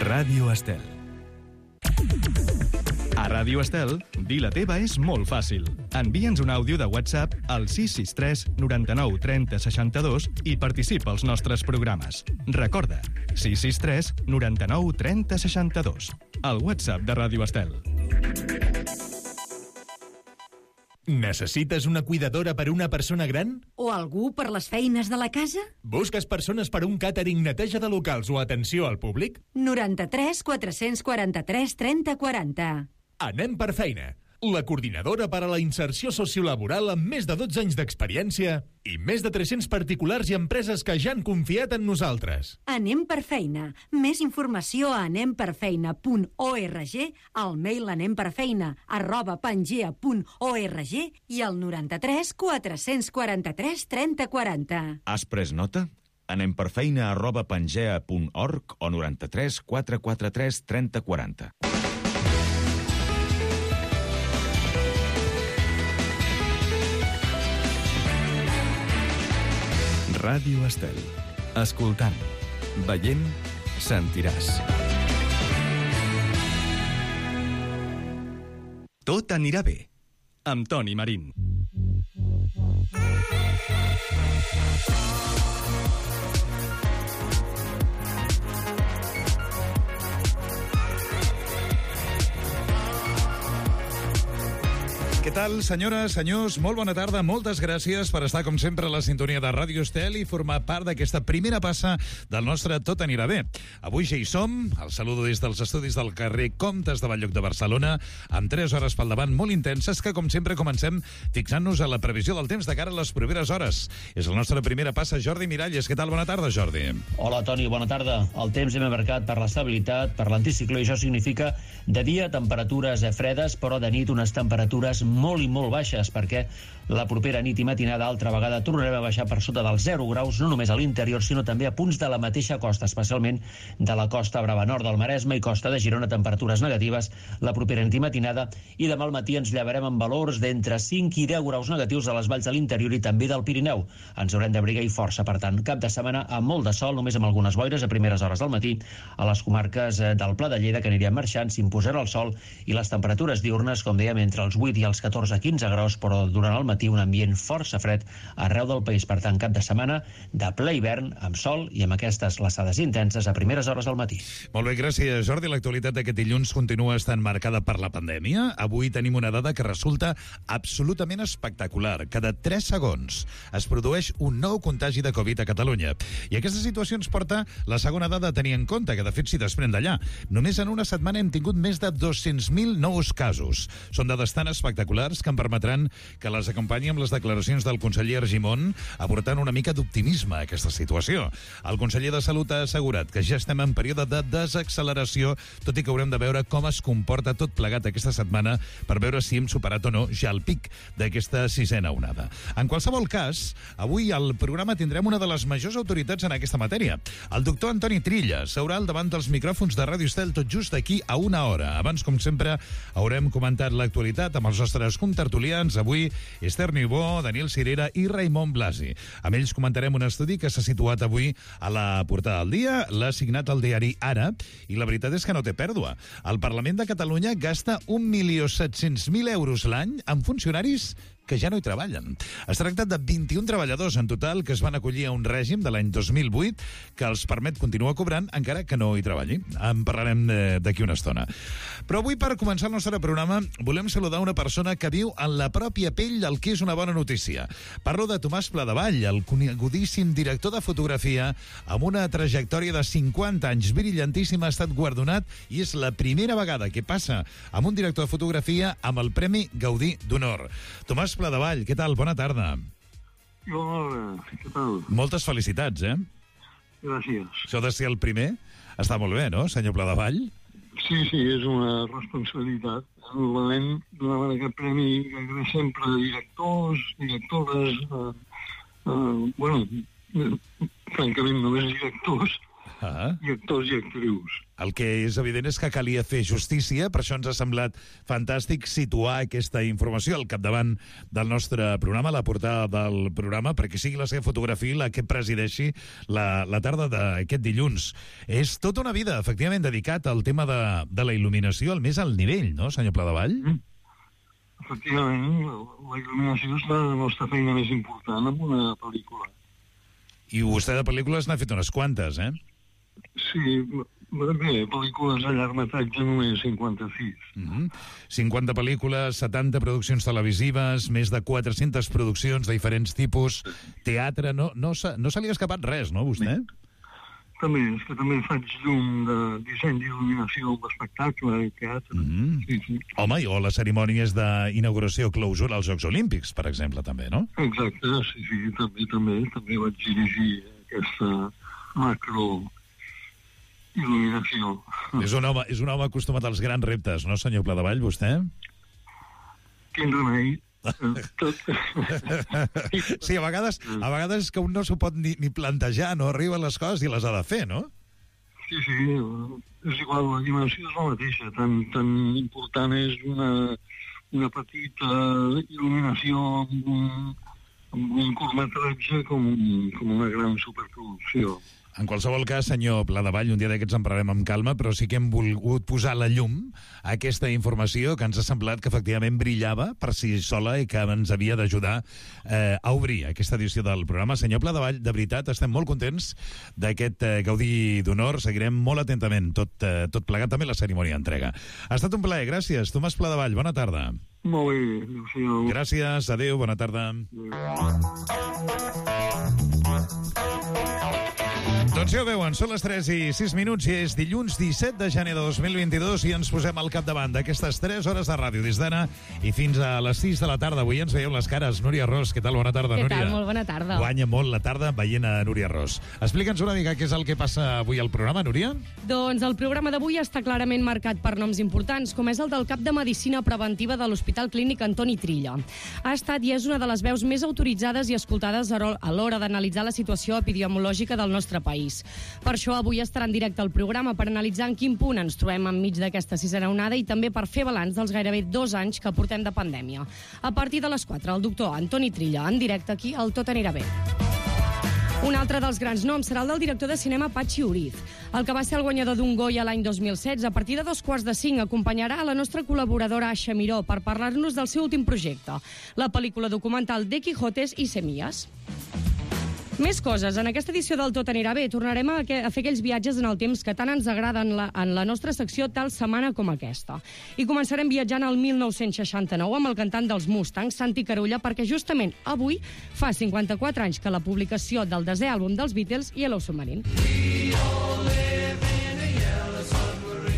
Ràdio Estel. A Ràdio Estel, dir la teva és molt fàcil. Envia'ns un àudio de WhatsApp al 663 99 30 62 i participa als nostres programes. Recorda, 663 99 30 62. El WhatsApp de Ràdio Estel. Necessites una cuidadora per una persona gran? O algú per les feines de la casa? Busques persones per un càtering, neteja de locals o atenció al públic? 93 443 30 40. Anem per feina. La coordinadora per a la inserció sociolaboral amb més de 12 anys d'experiència i més de 300 particulars i empreses que ja han confiat en nosaltres. Anem per feina. Més informació a anemperfeina.org, al mail anemperfeina@pangea.org i al 93 443 30 40. Has pres nota? anemperfeina@pangea.org o 93 443 30 40. Ràdio Estel. Escoltant, veient, sentiràs. Tot anirà bé. Amb Toni Marín. Què tal, senyores, senyors? Molt bona tarda. Moltes gràcies per estar, com sempre, a la sintonia de Ràdio Estel i formar part d'aquesta primera passa del nostre Tot anirà bé. Avui ja hi som. El saludo des dels estudis del carrer Comtes de Bell-lloc de Barcelona, amb 3 hores pel davant molt intenses que, com sempre, comencem fixant-nos a la previsió del temps de cara a les properes hores. És la nostra primera passa. Jordi Miralles. Què tal? Bona tarda, Jordi. Hola, Toni. Bona tarda. El temps hem marcat per l'estabilitat, per l'anticicló, i això significa de dia temperatures fredes, però de nit unes temperatures molt i molt baixes, perquè la propera nit i matinada altra vegada tornarem a baixar per sota dels 0 graus, no només a l'interior, sinó també a punts de la mateixa costa, especialment de la costa brava nord del Maresme i costa de Girona, temperatures negatives la propera nit i matinada, i demà al matí ens llevarem amb valors d'entre 5 i 10 graus negatius a les valls de l'interior i també del Pirineu. Ens haurem d'abrigar i força, per tant, cap de setmana amb molt de sol, només amb algunes boires a primeres hores del matí. A les comarques del Pla de Lleida, que anirien marxant, s'imposarà el sol i les temperatures diurnes, com dèiem, entre els 8 i els 14-15 graus, però durant el matí un ambient força fred arreu del país. Per tant, cap de setmana de ple hivern, amb sol i amb aquestes glaçades intenses a primeres hores del matí. Molt bé, gràcies, Jordi. L'actualitat d'aquest dilluns continua estant marcada per la pandèmia. Avui tenim una dada que resulta absolutament espectacular. Cada 3 segons es produeix un nou contagi de Covid a Catalunya. I aquesta situació ens porta la segona dada a tenir en compte, que de fet s'hi desprèn d'allà. Només en una setmana hem tingut més de 200.000 nous casos. Són dades tan espectaculars que em permetran que les acompanyi amb les declaracions del conseller Argimon, aportant una mica d'optimisme a aquesta situació. El conseller de Salut ha assegurat que ja estem en període de desacceleració, tot i que haurem de veure com es comporta tot plegat aquesta setmana per veure si hem superat o no ja el pic d'aquesta 6a onada. En qualsevol cas, avui al programa tindrem una de les majors autoritats en aquesta matèria. El doctor Antoni Trilla seurà al davant dels micròfons de Ràdio Estel tot just d'aquí a una hora. Abans, com sempre, haurem comentat l'actualitat amb els nostres contertulians. Avui, Esther Niubó, Daniel Cirera i Raimon Blasi. Amb ells comentarem un estudi que s'ha situat avui a la portada del dia, l'ha signat el diari Ara, i la veritat és que no té pèrdua. El Parlament de Catalunya gasta 1.700.000 euros l'any en funcionaris que ja no hi treballen. Es tracta de 21 treballadors en total que es van acollir a un règim de l'any 2008 que els permet continuar cobrant encara que no hi treballin. En parlarem d'aquí una estona. Però avui, per començar el nostre programa, volem saludar una persona que viu en la pròpia pell el que és una bona notícia. Parlo de Tomàs Pladevall, el conegudíssim director de fotografia amb una trajectòria de 50 anys brillantíssim, ha estat guardonat i és la primera vegada que passa amb un director de fotografia amb el Premi Gaudí d'Honor. Tomàs Pladevall, què tal? Bona tarda. Hola, què tal? Moltes felicitats, Gràcies. Això de ser el primer està molt bé, no, senyor Pladevall? Sí, és una responsabilitat. Normalment donaven aquest premi gairebé sempre a directors, directores, francament només directors, i actors i actrius. El que és evident és que calia fer justícia, per això ens ha semblat fantàstic situar aquesta informació al capdavant del nostre programa, la portada del programa, perquè sigui la seva fotografia la que presideixi la tarda d'aquest dilluns. És tota una vida, efectivament, dedicat al tema de la il·luminació al més alt nivell, no, senyor Pladevall? Efectivament, la il·luminació és la nostra feina més important en una pel·lícula. I vostè de pel·lícules n'ha fet unes quantes, eh? Sí, bé, pel·lícules a llargmetratge només 56. 50 pel·lícules, 70 produccions televisives, més de 400 produccions de diferents tipus, teatre, no se li ha escapat res, no, vostè? També, és que també faig llum de disseny d'il·luminació d'espectacle i teatre. Sí. Home, o les cerimònies d'inauguració clausura als Jocs Olímpics, per exemple, també, no? Exacte, sí, també vaig dirigir aquesta macro il·luminació. És un home acostumat als grans reptes, no, senyor Pladevall, vostè? Quin remei. Tot. Sí, a vegades és que un no s'ho pot ni plantejar, no? Arriben les coses i les ha de fer, no? Sí, és igual, la dimensió és la mateixa. Tan important és una petita il·luminació amb un curtmetratge com una gran superproducció. En qualsevol cas, senyor Pladevall, un dia d'aquests en parlarem amb calma, però sí que hem volgut posar la llum a aquesta informació que ens ha semblat que efectivament brillava per si sola i que ens havia d'ajudar a obrir aquesta edició del programa. Senyor Pladevall, de veritat, estem molt contents d'aquest Gaudí d'Honor. Seguirem molt atentament tot plegat, també la cerimònia d'entrega. Ha estat un plaer, gràcies. Tomàs Pladevall, bona tarda. Molt bé, adéu-siau. Gràcies, adéu, bona tarda. Doncs ja ho veuen, són les 3 i 6 minuts i és dilluns 17 de gener de 2022 i ens posem al capdavant d'aquestes 3 hores de ràdio des d'ara i fins a les 6 de la tarda. Avui ens veieu les cares. Núria Ros, què tal? Bona tarda, Núria. Què tal? Molt bona tarda. Guanya molt la tarda veient a Núria Ros. Explica'ns una mica què és el que passa avui al programa, Núria. Doncs el programa d'avui està clarament marcat per noms importants, com és el del cap de Medicina Preventiva de l'Hospital Clínic Antoni Trilla. Ha estat i és una de les veus més autoritzades i escoltades a l'hora d'analitzar la situació epidemiològica del nostre país. Per això avui estarà en directe al programa per analitzar en quin punt ens trobem enmig d'aquesta sisena onada i també per fer balanç dels gairebé 2 anys que portem de pandèmia. A partir de les 4, el doctor Antoni Trilla, en directe aquí al Tot anirà bé. Un altre dels grans noms serà el del director de cinema Patxi Uriz. El que va ser el guanyador d'un Goya l'any 2016, a partir de 2:45, acompanyarà a la nostra col·laboradora Aixa Miró per parlar-nos del seu últim projecte, la pel·lícula documental de Quijotes i Semillas. Més coses. En aquesta edició del Tot anirà bé tornarem a fer aquells viatges en el temps que tant ens agraden en la nostra secció tal setmana com aquesta. I començarem viatjant al 1969 amb el cantant dels Mustangs, Santi Carulla, perquè justament avui fa 54 anys que la publicació del 10è àlbum dels Beatles, Yellow Submarine.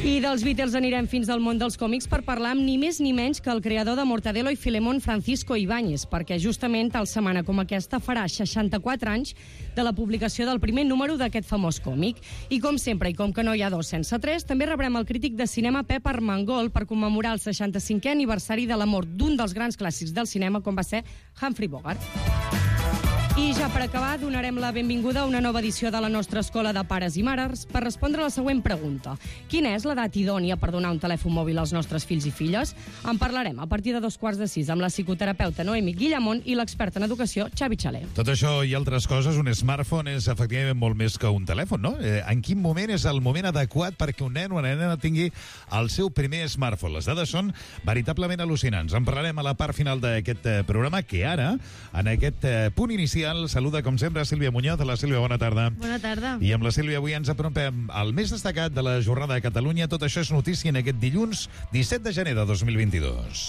I dels Beatles anirem fins al món dels còmics per parlar amb ni més ni menys que el creador de Mortadelo i Filemón, Francisco Ibáñez, perquè justament tal setmana com aquesta farà 64 anys de la publicació del primer número d'aquest famós còmic. I com sempre, i com que no hi ha 2 sense 3, també rebrem el crític de cinema Pep Armengol per commemorar el 65è aniversari de la mort d'un dels grans clàssics del cinema, com va ser Humphrey Bogart. I ja per acabar, donarem la benvinguda a una nova edició de la nostra Escola de Pares i Mares per respondre a la següent pregunta. Quina és l'edat idònia per donar un telèfon mòbil als nostres fills i filles? En parlarem a partir de 5:45 amb la psicoterapeuta Noemi Guillamont i l'expert en educació Xavi Xaler. Tot això i altres coses, un smartphone és efectivament molt més que un telèfon, no? En quin moment és el moment adequat perquè un nen o una nena tingui el seu primer smartphone? Les dades són veritablement al·lucinants. En parlarem a la part final d'aquest programa, que ara, en aquest punt inicial, saluda, com sempre, Sílvia Muñoz. La Sílvia, bona tarda. Bona tarda. I amb la Sílvia avui ens apropem al més destacat de la jornada de Catalunya. Tot això és notícia en aquest dilluns 17 de gener de 2022.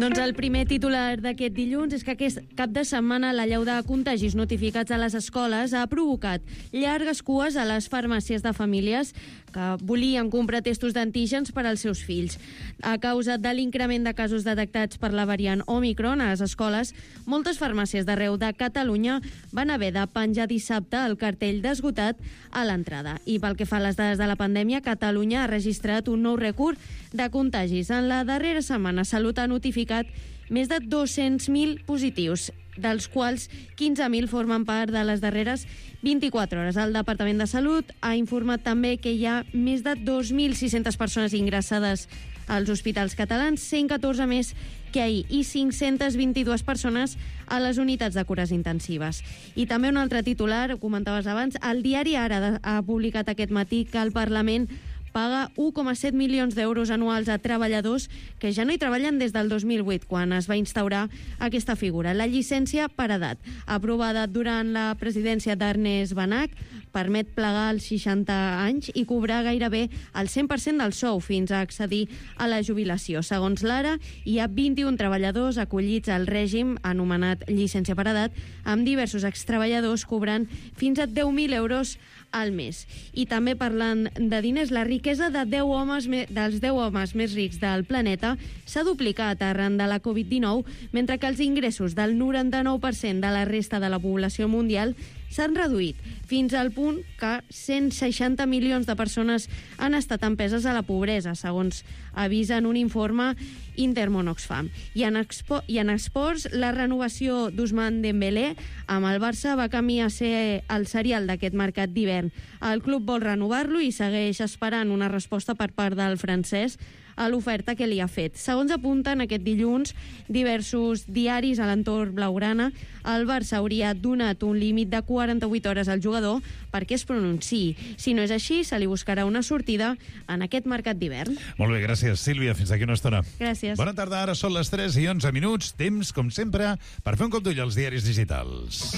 Doncs el primer titular d'aquest dilluns és que aquest cap de setmana l'allau de contagis notificats a les escoles ha provocat llargues cues a les farmàcies de famílies que volien comprar testos d'antígens per als seus fills. A causa de l'increment de casos detectats per la variant Omicron a les escoles, moltes farmàcies d'arreu de Catalunya van haver de penjar dissabte el cartell d'esgotat a l'entrada. I pel que fa a les dades de la pandèmia, Catalunya ha registrat un nou rècord de contagis. En la darrera setmana, Salut ha notificat més de 200.000 positius, dels quals 15.000 formen part de les darreres 24 hores. El Departament de Salut ha informat també que hi ha més de 2.600 persones ingressades als hospitals catalans, 114 més que ahir, i 522 persones a les unitats de cures intensives. I també un altre titular, ho comentaves abans, el diari Ara ha publicat aquest matí que el Parlament paga 1,7 milions d'euros anuals a treballadors que ja no hi treballen des del 2008, quan es va instaurar aquesta figura. La llicència per edat, aprovada durant la presidència d'Ernest Benach, permet plegar als 60 anys i cobrar gairebé el 100% del sou fins a accedir a la jubilació. Segons l'Ara, hi ha 21 treballadors acollits al règim anomenat llicència per edat, amb diversos extreballadors cobrant fins a 10.000 euros al mes. I també parlant de diners, la riquesa de dels 10 homes més rics del planeta s'ha duplicat arran de la Covid-19, mentre que els ingressos del 99% de la resta de la població mundial s'han reduït, fins al punt que 160 milions de persones han estat empeses a la pobresa, segons avisa en un informe Intermón-Oxfam. I en esports, la renovació d'Ousmane Dembélé amb el Barça va camí a ser el serial d'aquest mercat d'hivern. El club vol renovar-lo i segueix esperant una resposta per part del francès a l'oferta que li ha fet. Segons apunten aquest dilluns diversos diaris a l'entorn blaugrana, el Barça hauria donat un límit de 48 hores al jugador perquè es pronunciï. Si no és així, se li buscarà una sortida en aquest mercat d'hivern. Molt bé, gràcies, Sílvia. Fins aquí una estona. Gràcies. Bona tarda, ara són les 3:11. Temps, com sempre, per fer un cop d'ull als diaris digitals.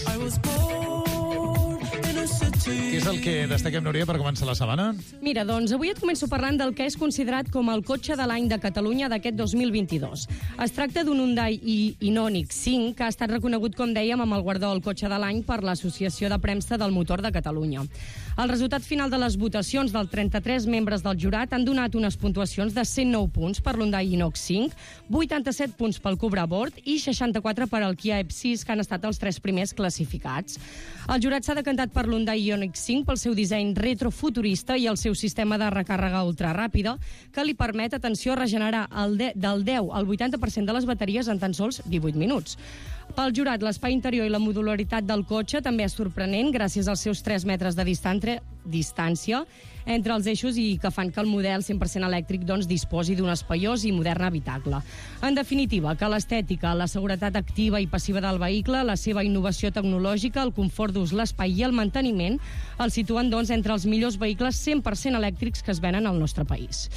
Què és el que destaquem, Núria, per començar la setmana? Mira, doncs avui et començo parlant del que és considerat com el cotxe de l'any de Catalunya d'aquest 2022. Es tracta d'un Hyundai Ioniq 5 que ha estat reconegut, com dèiem, amb el guardó del cotxe de l'any per l'Associació de Premsa del Motor de Catalunya. El resultat final de les votacions dels 33 membres del jurat han donat unes puntuacions de 109 punts per l'Hyundai Ioniq 5, 87 punts pel Cupra Born i 64 per al Kia EV6, que han estat els 3 primers classificats. El jurat s'ha decantat per l'Hyundai Ioniq 5 pel seu disseny retrofuturista i el seu sistema de recàrrega ultraràpida, que li permet, atenció, regenerar del 10 al 80% de les bateries en tan sols 18 minuts. Pel jurat, l'espai interior i la modularitat del cotxe també és sorprenent gràcies als seus 3 metres de distància entre els eixos i que fan que el model 100% elèctric disposi d'un espaiós i modern habitacle. En definitiva, que l'estètica, la seguretat activa i passiva del vehicle, la seva innovació tecnològica, el confort d'ús, l'espai i el manteniment el situen entre els millors vehicles 100% elèctrics que es venen al nostre país.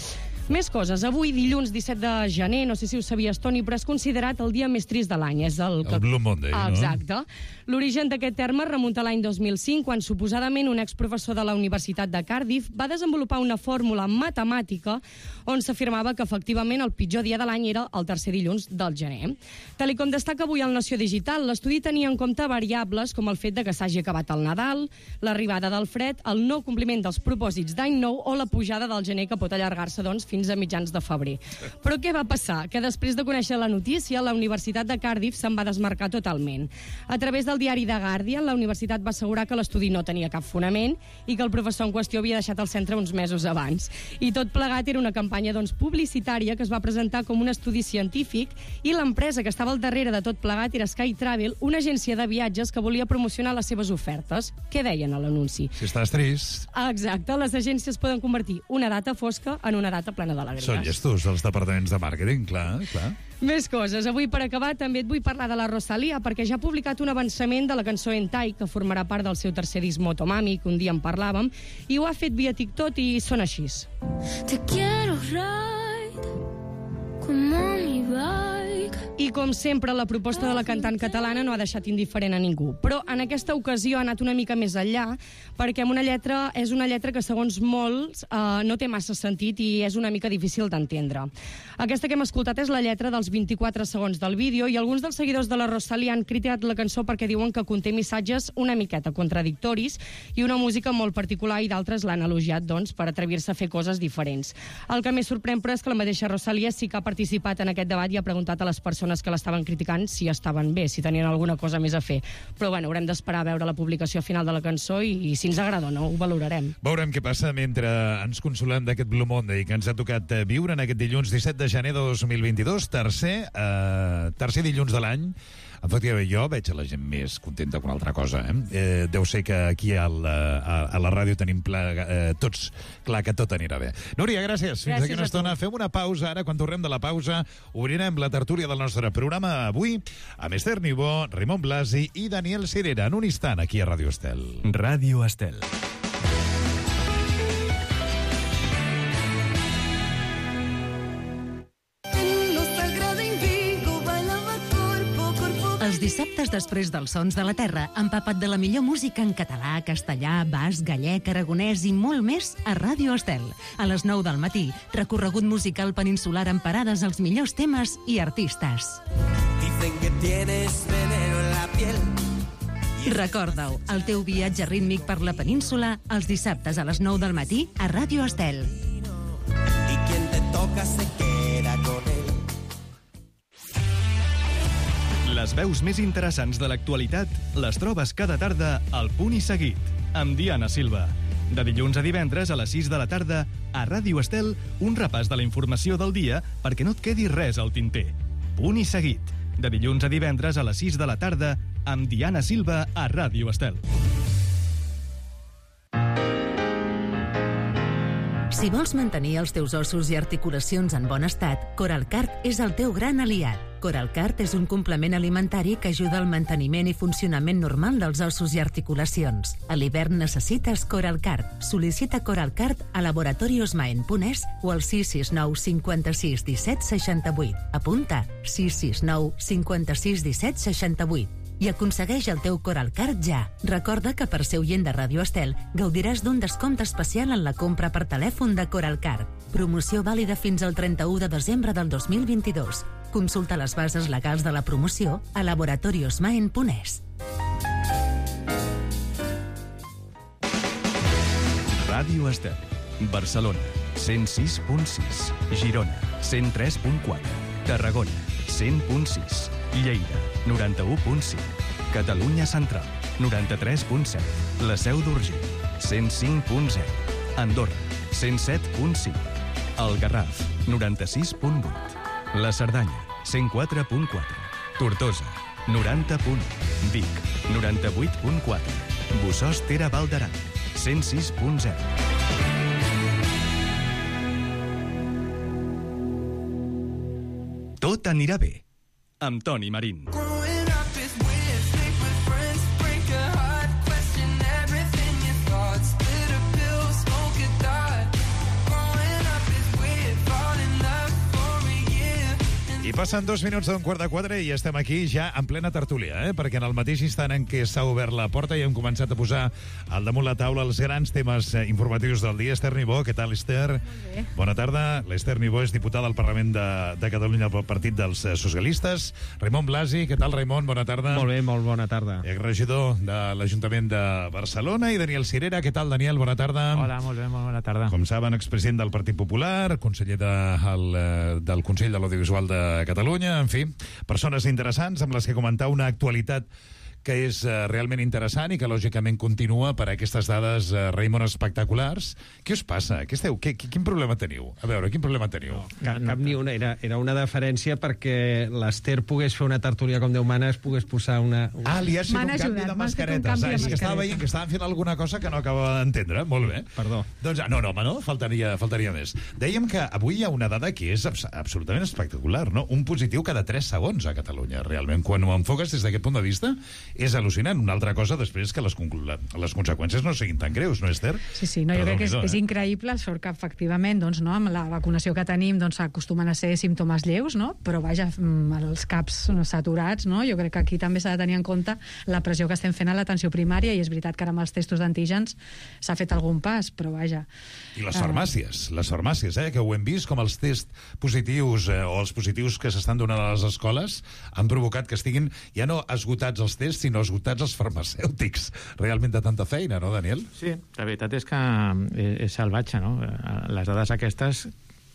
Més coses. Avui, dilluns 17 de gener, no sé si ho sabies, Toni, però és considerat el dia més trist de l'any. És el Blue Monday, no? Exacte. L'origen d'aquest terme remunta a l'any 2005, quan suposadament un exprofessor de la Universitat de Cardiff va desenvolupar una fórmula matemàtica on s'afirmava que efectivament el pitjor dia de l'any era el tercer dilluns del gener. Tal com destaca avui el Nació Digital, l'estudi tenia en compte variables com el fet de que s'hagi acabat el Nadal, l'arribada del fred, el no compliment dels propòsits d'any nou o la pujada del gener, que pot allargar-se, fins a mitjans de febrer. Però què va passar? Que després de conèixer la notícia, la Universitat de Cardiff se'n va desmarcar totalment. A través del diari The Guardian, la universitat va assegurar que l'estudi no tenia cap fonament i que el professor en qüestió havia deixat el centre uns mesos abans. I tot plegat era una campanya publicitària que es va presentar com un estudi científic, i l'empresa que estava al darrere de tot plegat era Sky Travel, una agència de viatges que volia promocionar les seves ofertes. Què deien a l'anunci? Si estàs trist... Exacte, les agències poden convertir una data fosca en una data plena d'alegries. Són llestos, els departaments de màrqueting, clar. Més coses. Avui, per acabar, també et vull parlar de la Rosalía, perquè ja ha publicat un avançament de la cançó Hentai, que formarà part del seu tercer disc Motomami, que un dia en parlàvem, i ho ha fet via TikTok i sona així. Te quiero ride como mi bike. I com sempre, la proposta de la cantant catalana no ha deixat indiferent a ningú. Però en aquesta ocasió ha anat una mica més enllà, perquè és una lletra que, segons molts, no té massa sentit i és una mica difícil d'entendre. Aquesta que hem escoltat és la lletra dels 24 segons del vídeo, i alguns dels seguidors de la Rosalía han criticat la cançó perquè diuen que conté missatges una miqueta contradictoris i una música molt particular, i d'altres l'han elogiat, per atrevir-se a fer coses diferents. El que més sorprèn, però, és que la mateixa Rosalía sí que ha participat en aquest debat i ha preguntat a les persones persones que l'estaven criticant si estaven bé, si tenien alguna cosa més a fer. Però bueno, haurem d'esperar a veure la publicació final de la cançó i si ens agrada o no, ho valorarem. Veurem què passa mentre ens consolem d'aquest Blue Monday que ens ha tocat viure en aquest dilluns 17 de gener de 2022, tercer dilluns de l'any. Efectivament, jo veig a la gent més contenta que una altra cosa. Deu ser que aquí a la ràdio tenim tots clar que tot anirà bé. Núria, gràcies. Fins aquí una estona. Fem una pausa. Ara, quan tornem de la pausa, obrirem la tertúlia del nostre programa avui amb Esther Niubó, Raimon Blasi i Daniel Cirera. En un instant, aquí a Ràdio Estel. Ràdio Estel. Els dissabtes després dels Sons de la Terra, empapa't de la millor música en català, castellà, basc, gallec, aragonès i molt més a Ràdio Estel. A les 9 del matí, recorregut musical peninsular amb parades als millors temes i artistes. Dicen que tienes veneno en la piel. Recorda-ho, el teu viatge rítmic per la península els dissabtes a les 9 del matí a Ràdio Estel. Y quien te toca se queda con él. Les veus més interessants de l'actualitat les trobes cada tarda al Punt i Seguit, amb Diana Silva. De dilluns a divendres a les 6 de la tarda, a Ràdio Estel, un repàs de la informació del dia perquè no et quedi res al tinter. Punt i Seguit, de dilluns a divendres a les 6 de la tarda, amb Diana Silva a Ràdio Estel. Si vols mantenir els teus ossos i articulacions en bon estat, Coralcart és el teu gran aliat. Coralcart és un complement alimentari que ajuda al manteniment i funcionament normal dels ossos i articulacions. A l'hivern necessites Coralcart. Sol·licita Coralcart a laboratoriosmaen.es o al 669 56 17 68. Apunta 669 56 17 68. I aconsegueix el teu Coralcart ja. Recorda que per ser oient de Ràdio Estel gaudiràs d'un descompte especial en la compra per telèfon de Coralcart. Promoció vàlida fins al 31 de desembre del 2022. Consulta les bases legals de la promoció a laboratoriosmaen.es. Ràdio Estel, Barcelona, 106.6, Girona, 103.4, Tarragona, 100.6, Lleida, 91.5, Catalunya Central, 93.7, la Seu d'Urgell, 105.0, Andorra, 107.5, el Garraf, 96.8, la Cerdanya, 104.4, Tortosa, 90.1, Vic, 98.4, Bossòst Tere Val d'Aran, 106.0. Tot anirà bé, amb Toni Marín. I passen 2 minuts d'un 3:15 i estem aquí ja en plena tertúlia, perquè en el mateix instant en què s'ha obert la porta i hem començat a posar al damunt la taula els grans temes informatius del dia. Esther Niubó, què tal, Esther? Bona tarda. L'Esther Niubó és diputada al Parlament de Catalunya pel Partit dels Socialistes. Raimon Blasi, què tal, Raimon? Bona tarda. Molt bé, molt bona tarda. Regidor de l'Ajuntament de Barcelona. I Daniel Cirera, què tal, Daniel? Bona tarda. Hola, molt bé, molt bona tarda. Com saben, expresident del Partit Popular, conseller del Consell de l'Audiovisual de Catalunya, en fi, persones interessants amb les que comentar una actualitat que és realment interessant i que lògicament continua per aquestes dades, Raimon, espectaculars. Què us passa? Quin problema teniu? A veure, quin problema teniu? Cap ni una. Era una deferència perquè l'Esther pogués fer una tertúlia com Déu mana, es pogués posar una... li has fet un canvi de mascaretes. És que estava veient que estaven fent alguna cosa que no acabava d'entendre. Molt bé. Perdó. Doncs, no, home, no? Faltaria més. Dèiem que avui hi ha una dada que és absolutament espectacular, no? Un positiu cada 3 segons a Catalunya, realment. Quan ho enfoques des d'aquest punt de vista, és al·lucinant. Una altra cosa després que les conseqüències no siguin tan greus, no, Esther? Sí, no, jo crec que és increïble, sort que efectivament, doncs, no, amb la vacunació que tenim, doncs, acostumen a ser símptomes lleus, no? Però vaja, els caps saturats, no? Jo crec que aquí també s'ha de tenir en compte la pressió que estem fent a l'atenció primària, i és veritat que ara amb els testos d'antígens s'ha fet algun pas, però vaja. I les farmàcies, que ho hem vist, com els tests positius o els positius que s'estan donant a les escoles han provocat que estiguin ja no esgotats els tests, sinó esgotats els farmacèutics. Realment de tanta feina, no, Daniel? Sí, la veritat és que és salvatge, no? Les dades aquestes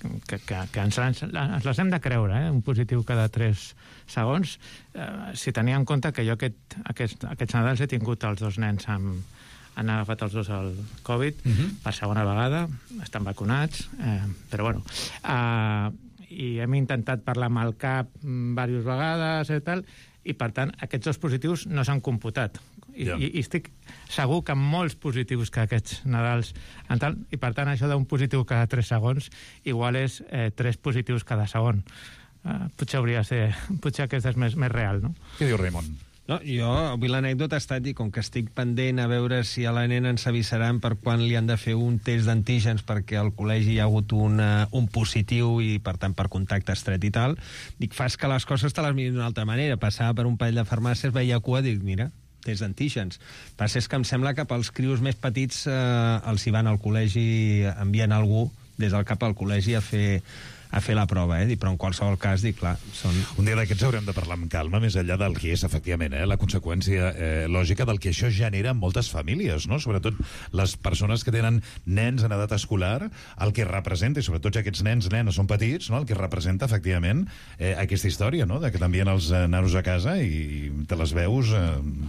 ens les hem de creure, un positiu cada 3 segons. Si tenia en compte que jo aquests Nadals he tingut els 2 nens han agafat els 2 el Covid per segona vegada, estan vacunats, però bueno, i hem intentat parlar amb el CAP diverses vegades i tal, i per tant aquests 2 positius no s'han computat. I estic segur que molts positius que aquests Nadals i per tant això d'un positiu cada 3 segons igual és 3 positius cada segon. Potser aquest és més real, no? Què diu Raimon? No, jo, avui l'anècdota ha estat, i com que estic pendent a veure si a la nena ens avisaran per quan li han de fer un test d'antígens perquè al col·legi hi ha hagut un positiu i, per tant, per contacte estret i tal, dic, fas que les coses te les mirin d'una altra manera. Passava per un parell de farmàcies, veia cua, dic, mira, test d'antígens. Passa és que em sembla que pels crios més petits els hi van al col·legi, envien algú des del cap al col·legi a fer la prova, però en qualsevol cas, dic, clar, són... Un dia d'aquests haurem de parlar amb calma, més enllà del que és, efectivament, la conseqüència lògica del que això genera en moltes famílies, no? Sobretot les persones que tenen nens en edat escolar, el que representa, i sobretot aquests nenes són petits, no? El que representa, efectivament, aquesta història, no? De que t'envien els nanos a casa i te les veus...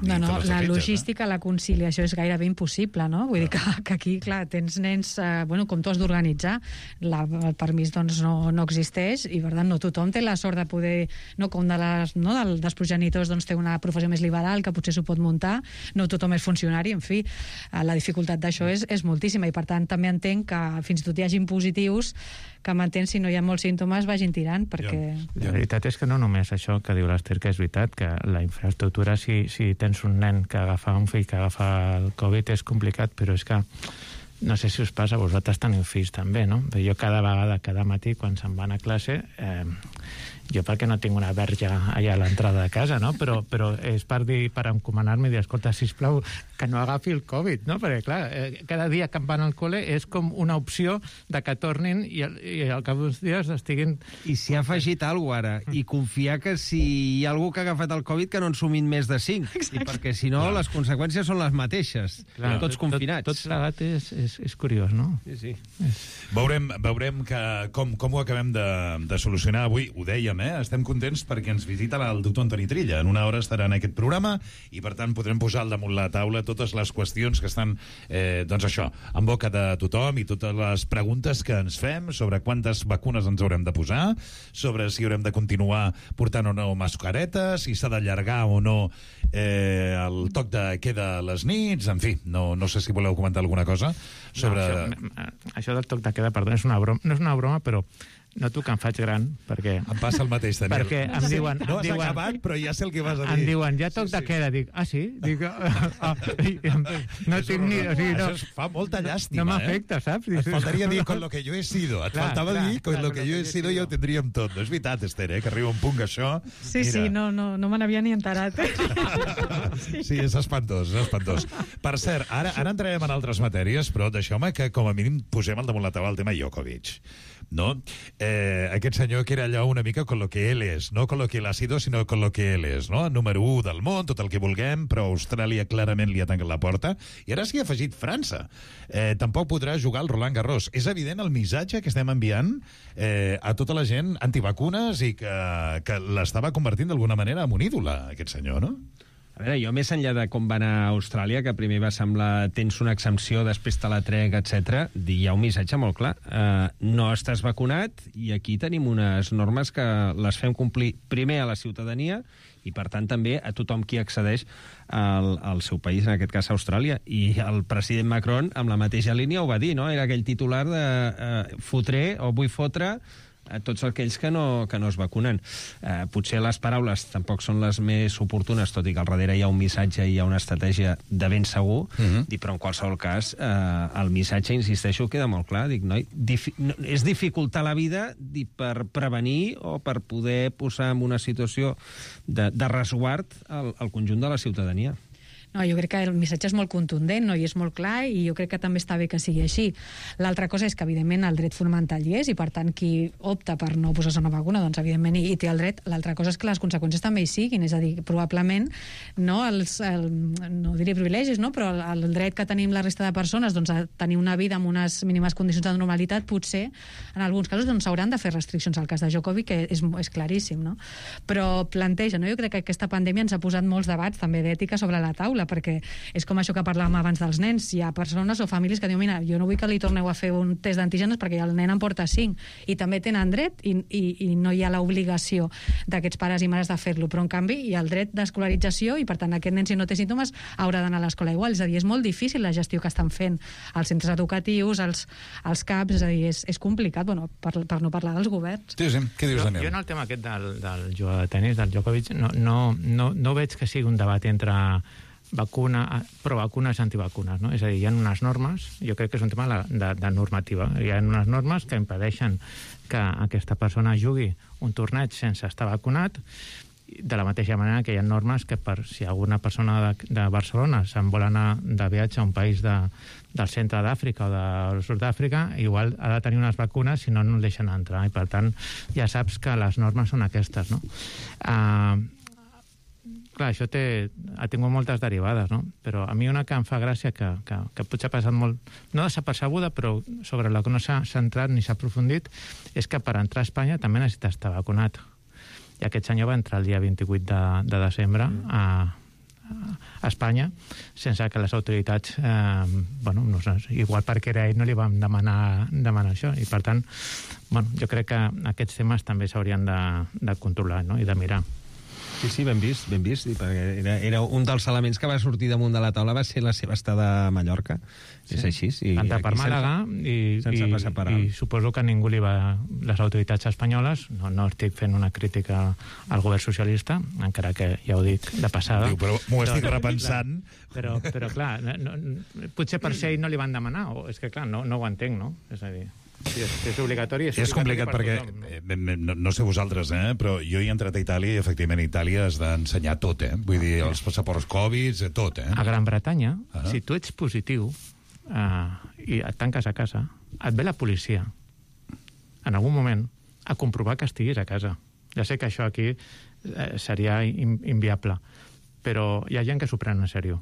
No, la logística, la conciliació és gairebé impossible, no? Vull dir que aquí, clar, tens nens, com tu has d'organitzar, el permís, doncs, no existeix, i per tant no tothom té la sort de poder, com dels progenitors doncs té una professió més liberal que potser s'ho pot muntar, no tothom és funcionari, en fi, la dificultat d'això és moltíssima, i per tant també entenc que fins i tot hi hagin positius que m'entén, si no hi ha molts símptomes vagin tirant, perquè... La veritat és que no només això que diu l'Ester, que és veritat, que la infraestructura, si tens un nen que agafa un fill que agafa el Covid és complicat, però és que no sé si us passa, vosaltres teniu fills també, no? Jo cada matí, quan se'n van a classe, jo perquè no tinc una verge allà a l'entrada de casa, no? Però és per encomanar-me i dir, escolta, sisplau, que no agafi el Covid, no? Perquè, clar, cada dia que em van al col·le és com una opció de que tornin i al cap d'uns dies estiguin... I s'hi ha afegit alguna cosa ara, i confiar que si hi ha algú que ha agafat el Covid que no en sumin més de 5, i perquè si no les conseqüències són les mateixes, tots confinats. Tot plegat és curiós, no? Sí. Veurem com ho acabem de solucionar avui. Ho dèiem, estem contents perquè ens visita el doctor Antoni Trilla. En una hora estarà en aquest programa i, per tant, podrem posar al damunt la taula totes les qüestions que estan, doncs això, en boca de tothom, i totes les preguntes que ens fem sobre quantes vacunes ens haurem de posar, sobre si haurem de continuar portant o no mascaretes, si s'ha d'allargar o no el toc de queda a les nits, en fi, no sé si voleu comentar alguna cosa sobre... Això del toc de queda, perdó, no és una broma, però noto que em faig gran, perquè... Em passa el mateix, Daniel. Perquè em diuen... No has acabat, però ja sé el que vas a dir. Em diuen, ja toc de queda. Dic, sí? Dic, no tinc ni... Això fa molta llàstima, No m'afecta, saps? Et faltaria dir con lo que yo he sido. Et faltava dir con lo que yo he sido, ja ho tindríem tot. No és veritat, Esther, que arriba un punt que això... Sí, no me n'havia ni enterat. Sí, és espantós, és espantós. Per cert, ara entrarem en altres matèries, però deixeu-me que com a mínim posem al damunt la taula el tema Djokovic, no? Aquest senyor que era allò una mica con lo que él es, no con lo que él ha sido, sinó con lo que él es, no? Número 1 del món, tot el que vulguem, però Austràlia clarament li ha tancat la porta, i ara s'hi ha afegit França. Tampoc podrà jugar el Roland Garros. És evident el missatge que estem enviant a tota la gent antivacunes i que l'estava convertint d'alguna manera en un ídol, aquest senyor, no? A veure, jo més enllà de com va anar a Austràlia, que primer va semblar tens una exempció, després te la trec, etc., hi ha un missatge molt clar. No estàs vacunat i aquí tenim unes normes que les fem complir primer a la ciutadania i, per tant, també a tothom qui accedeix al seu país, en aquest cas Austràlia. I el president Macron, amb la mateixa línia, ho va dir, no? Era aquell titular de fotré o vull fotre a tots aquells que no es vacunen. Potser les paraules tampoc són les més oportunes, tot i que al darrere hi ha un missatge i hi ha una estratègia de ben segur, però en qualsevol cas el missatge, insisteixo, queda molt clar. Dic, és dificultar la vida per prevenir o per poder posar en una situació de resguard al conjunt de la ciutadania. No, jo crec que el missatge és molt contundent, no? I és molt clar, i jo crec que també està bé que sigui així. L'altra cosa és que, evidentment, el dret fonamental hi és, i per tant, qui opta per no posar-se una vacuna, doncs, evidentment, hi té el dret. L'altra cosa és que les conseqüències també hi siguin, és a dir, probablement, no diré privilegis, no? Però el dret que tenim la resta de persones, doncs, a tenir una vida amb unes mínimes condicions de normalitat, potser, en alguns casos, doncs, s'hauran de fer restriccions. Al cas de Djokovic, que és claríssim, no? Però planteja, no? Jo crec que aquesta pandèmia ens ha posat molts debats, també d'ètica, sobre la taula, perquè és com això que parlàvem abans dels nens. Hi ha persones o famílies que diuen, mira, jo no vull que li torneu a fer un test d'antígens perquè el nen en porta 5, i també tenen dret, i no hi ha l'obligació d'aquests pares i mares de fer-lo, però en canvi hi ha el dret d'escolarització, i per tant aquest nen, si no té símptomes, haurà d'anar a l'escola igual. És a dir, és molt difícil la gestió que estan fent els centres educatius, els CAPs, és a dir, és complicat, bueno, per no parlar dels governs. Sí, què dius, Daniel? Jo en el tema aquest del jugador de tenis, del Djokovic, no veig que sigui un debat entre provacunes i antivacunes, no? És a dir, hi ha unes normes, jo crec que és un tema de normativa, hi ha unes normes que impedeixen que aquesta persona jugui un torneig sense estar vacunat, de la mateixa manera que hi ha normes que si alguna persona de Barcelona se'n vol anar de viatge a un país del centre d'Àfrica o del sud d'Àfrica, igual ha de tenir unes vacunes, si no, no el deixen entrar, i per tant ja saps que les normes són aquestes, no? Clar, això ha tingut moltes derivades, no? Però a mi una que em fa gràcia, que potser ha passat molt, no desapercebuda, però sobre la que no s'ha centrat ni s'ha aprofundit, és que per entrar a Espanya també necessita estar vacunat. I aquest senyor va entrar el dia 28 de desembre a Espanya, sense que les autoritats, no sé, igual perquè era ell, no li vam demanar això. I per tant, jo crec que aquests temes també s'haurien de controlar, no? I de mirar. Sí, ben vist, perquè era un dels elements que va sortir damunt de la taula, va ser la seva estada a Mallorca. Sí. És així. Entrar per Màlaga i suposo que ningú les autoritats espanyoles, no estic fent una crítica al govern socialista, encara que ja ho dic de passada. Però m'ho estic repensant. Però clar, potser per ser ell no li van demanar, o és que clar, no ho entenc, no? És a dir... Sí, és obligatori. És complicat perquè, no sé vosaltres, però jo he entrat a Itàlia i efectivament a Itàlia has d'ensenyar tot, vull dir, els passaports Covid, tot, A Gran Bretanya, si tu ets positiu i et tanques a casa, et ve la policia en algun moment a comprovar que estiguis a casa. Ja sé que això aquí seria inviable, però hi ha gent que s'ho pren en sèrio.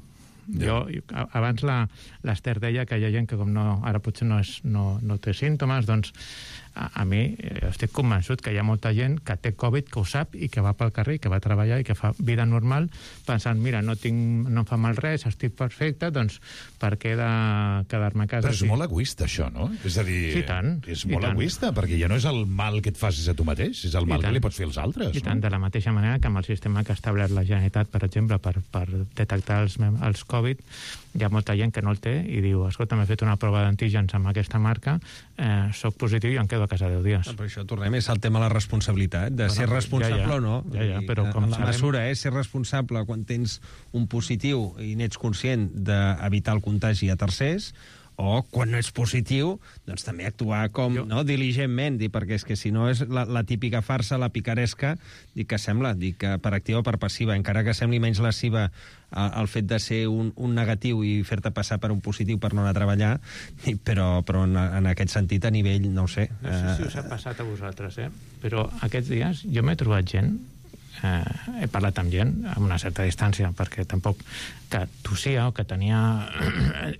Abans l'Ester deia que hi ha gent que ara potser no té símptomes, doncs a mi estic convençut que hi ha molta gent que té Covid, que ho sap i que va pel carrer, que va treballar i que fa vida normal pensant, mira, no em fa mal res, estic perfecte, doncs per què he de quedar-me a casa? Però és molt egoista això, no? És a dir, és molt egoista, perquè ja no és el mal que et facis a tu mateix, és el mal que li pots fer als altres. I tant, de la mateixa manera que amb el sistema que ha establert la Generalitat, per exemple, per detectar els Covid, hi ha molta gent que no el té i diu, escolta, m'he fet una prova d'antígens amb aquesta marca, soc positiu i em quedo a casa 10 dies. Per això tornem, és el tema de la responsabilitat, de ser responsable o no. Però com la mesura és ser responsable quan tens un positiu i n'ets conscient d'evitar el contagi a tercers, o quan no ets positiu, doncs també actuar diligentment, perquè és que si no és la típica farsa, la picaresca, que sembla, que per activa o per passiva, encara que sembli menys lesiva el fet de ser un negatiu i fer-te passar per un positiu per no anar a treballar, però en aquest sentit a nivell, no ho sé. No sé si us ha passat a vosaltres, però aquests dies jo m'he trobat gent, he parlat amb gent amb una certa distància, perquè tampoc que tossia o que tenia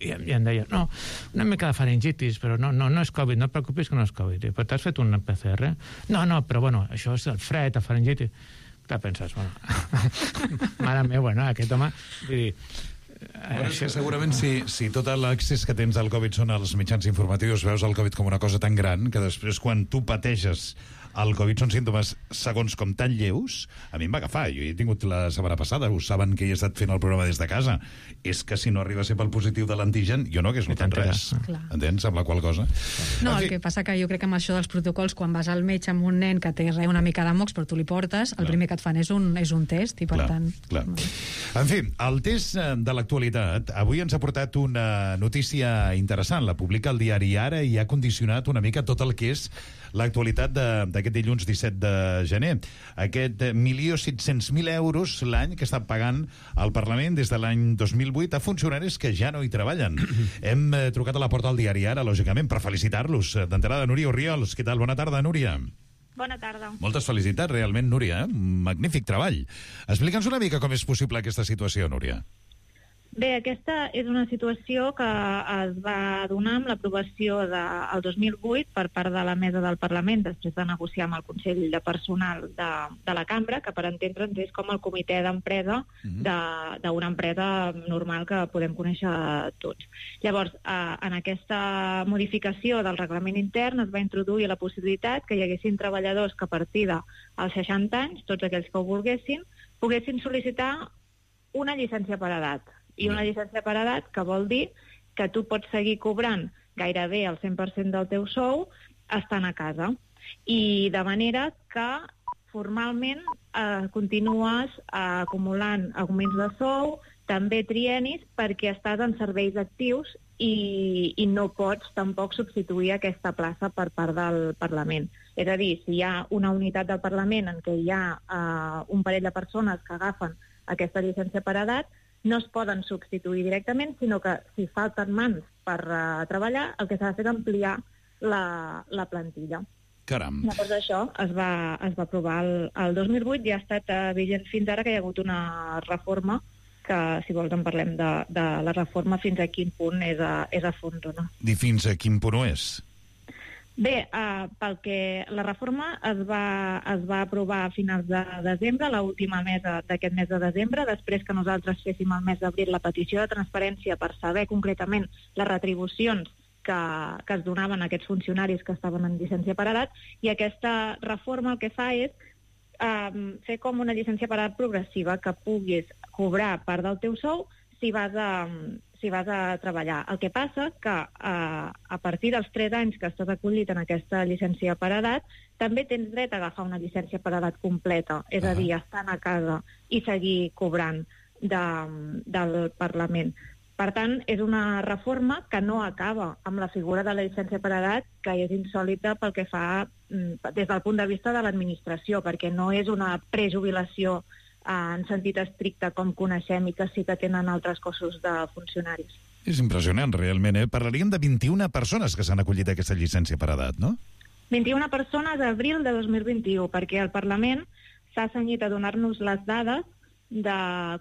i em deia, no, una mica de faringitis, però no és Covid, no et preocupis que no és Covid. Però t'has fet un PCR? No, però bueno, això és el fred, el faringitis. Clar, penses, mare meva, aquest home, vull dir, és que segurament si tot l'accés que tens al Covid són els mitjans informatius, veus el Covid com una cosa tan gran que després quan tu pateixes el Covid són símptomes segons com tan lleus. A mi em va agafar, jo he tingut la setmana passada, ho saben que he estat fent el programa des de casa, és que si no arriba a ser pel positiu de l'antigen jo no hagués notat res, entens? Amb la qual cosa no, el que passa que jo crec que amb això dels protocols, quan vas al metge amb un nen que té una mica de mocs però tu li portes, el primer que et fan és un test i per tant... En fi, el test de l'actualitat avui ens ha portat una notícia interessant, la publica el diari Ara i ha condicionat una mica tot el que és l'actualitat de d'aquest dilluns 17 de gener. Aquest 1.700.000 euros l'any que està pagant el Parlament des de l'any 2008 a funcionaris que ja no hi treballen. Hem trucat a la porta del diari Ara, lògicament, per felicitar-los. D'entrada, Núria Orriols. Què tal? Bona tarda, Núria. Bona tarda. Moltes felicitats, realment, Núria. Magnífic treball. Explica'ns una mica com és possible aquesta situació, Núria. Bé, aquesta és una situació que es va donar amb l'aprovació del 2008 per part de la mesa del Parlament, després de negociar amb el Consell de Personal de la Cambra, que per entendre'ns és com el comitè d'empresa d'una empresa normal que podem conèixer tots. Llavors, en aquesta modificació del reglament intern es va introduir la possibilitat que hi haguessin treballadors que a partir dels 60 anys, tots aquells que ho volguessin, poguessin sol·licitar una llicència per edat. I una llicència per edat que vol dir que tu pots seguir cobrant gairebé el 100% del teu sou estant a casa. I de manera que formalment continues acumulant augments de sou, també trienis, perquè estàs en serveis actius i no pots tampoc substituir aquesta plaça per part del Parlament. És a dir, si hi ha una unitat del Parlament en què hi ha un parell de persones que agafen aquesta llicència per edat, no es poden substituir directament, sinó que si falten mans per treballar, el que s'ha de fer és ampliar la plantilla. Caram. Llavors això es va aprovar el 2008 i ha estat vigent fins ara, que hi ha hagut una reforma que, si vols, en parlem de la reforma, fins a quin punt és a fons o no. I fins a quin punt ho és? Bé, pel que la reforma es va aprovar a finals de desembre, l'última mesa d'aquest mes de desembre, després que nosaltres féssim el mes d'abril la petició de transparència per saber concretament les retribucions que es donaven a aquests funcionaris que estaven en llicència per edat, i aquesta reforma el que fa és fer com una llicència per edat progressiva, que puguis cobrar part del teu sou si vas a treballar. El que passa que a partir dels 3 anys que estàs acollit en aquesta llicència per edat, també tens dret a agafar una llicència per edat completa, és a dir, estar a casa i seguir cobrant del Parlament. Per tant, és una reforma que no acaba amb la figura de la llicència per edat, que és insòlita pel que fa des del punt de vista de l'administració, perquè no és una prejubilació en sentit estricte com coneixem i que sí que tenen altres cossos de funcionaris. És impressionant, realment, eh? Parlaríem de 21 persones que s'han acollit a aquesta llicència per edat, no? 21 persones d'abril de 2021, perquè el Parlament s'ha cenyit a donar-nos les dades de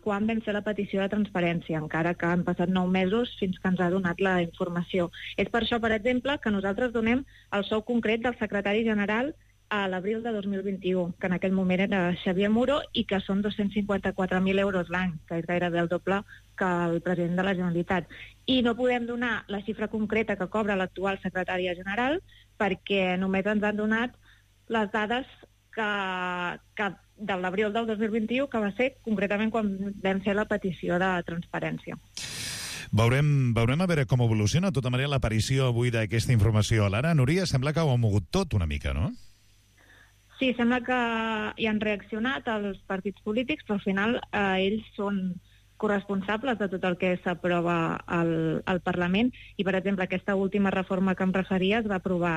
quan vam fer la petició de transparència, encara que han passat 9 mesos fins que ens ha donat la informació. És per això, per exemple, que nosaltres donem el sou concret del secretari general a l'abril de 2021, que en aquell moment era Xavier Muro, i que són 254.000 euros l'any, que és gairebé el doble que el president de la Generalitat. I no podem donar la xifra concreta que cobra l'actual secretària general, perquè només ens han donat les dades que de l'abril del 2021, que va ser concretament quan vam fer la petició de transparència. Veurem a veure com evoluciona. De tota manera, l'aparició avui d'aquesta informació a l'Ara, Núria, sembla que ho ha mogut tot una mica, no? Sí, sembla que hi han reaccionat els partits polítics, però al final ells són corresponsables de tot el que s'aprova al Parlament, i, per exemple, aquesta última reforma que em referia es va aprovar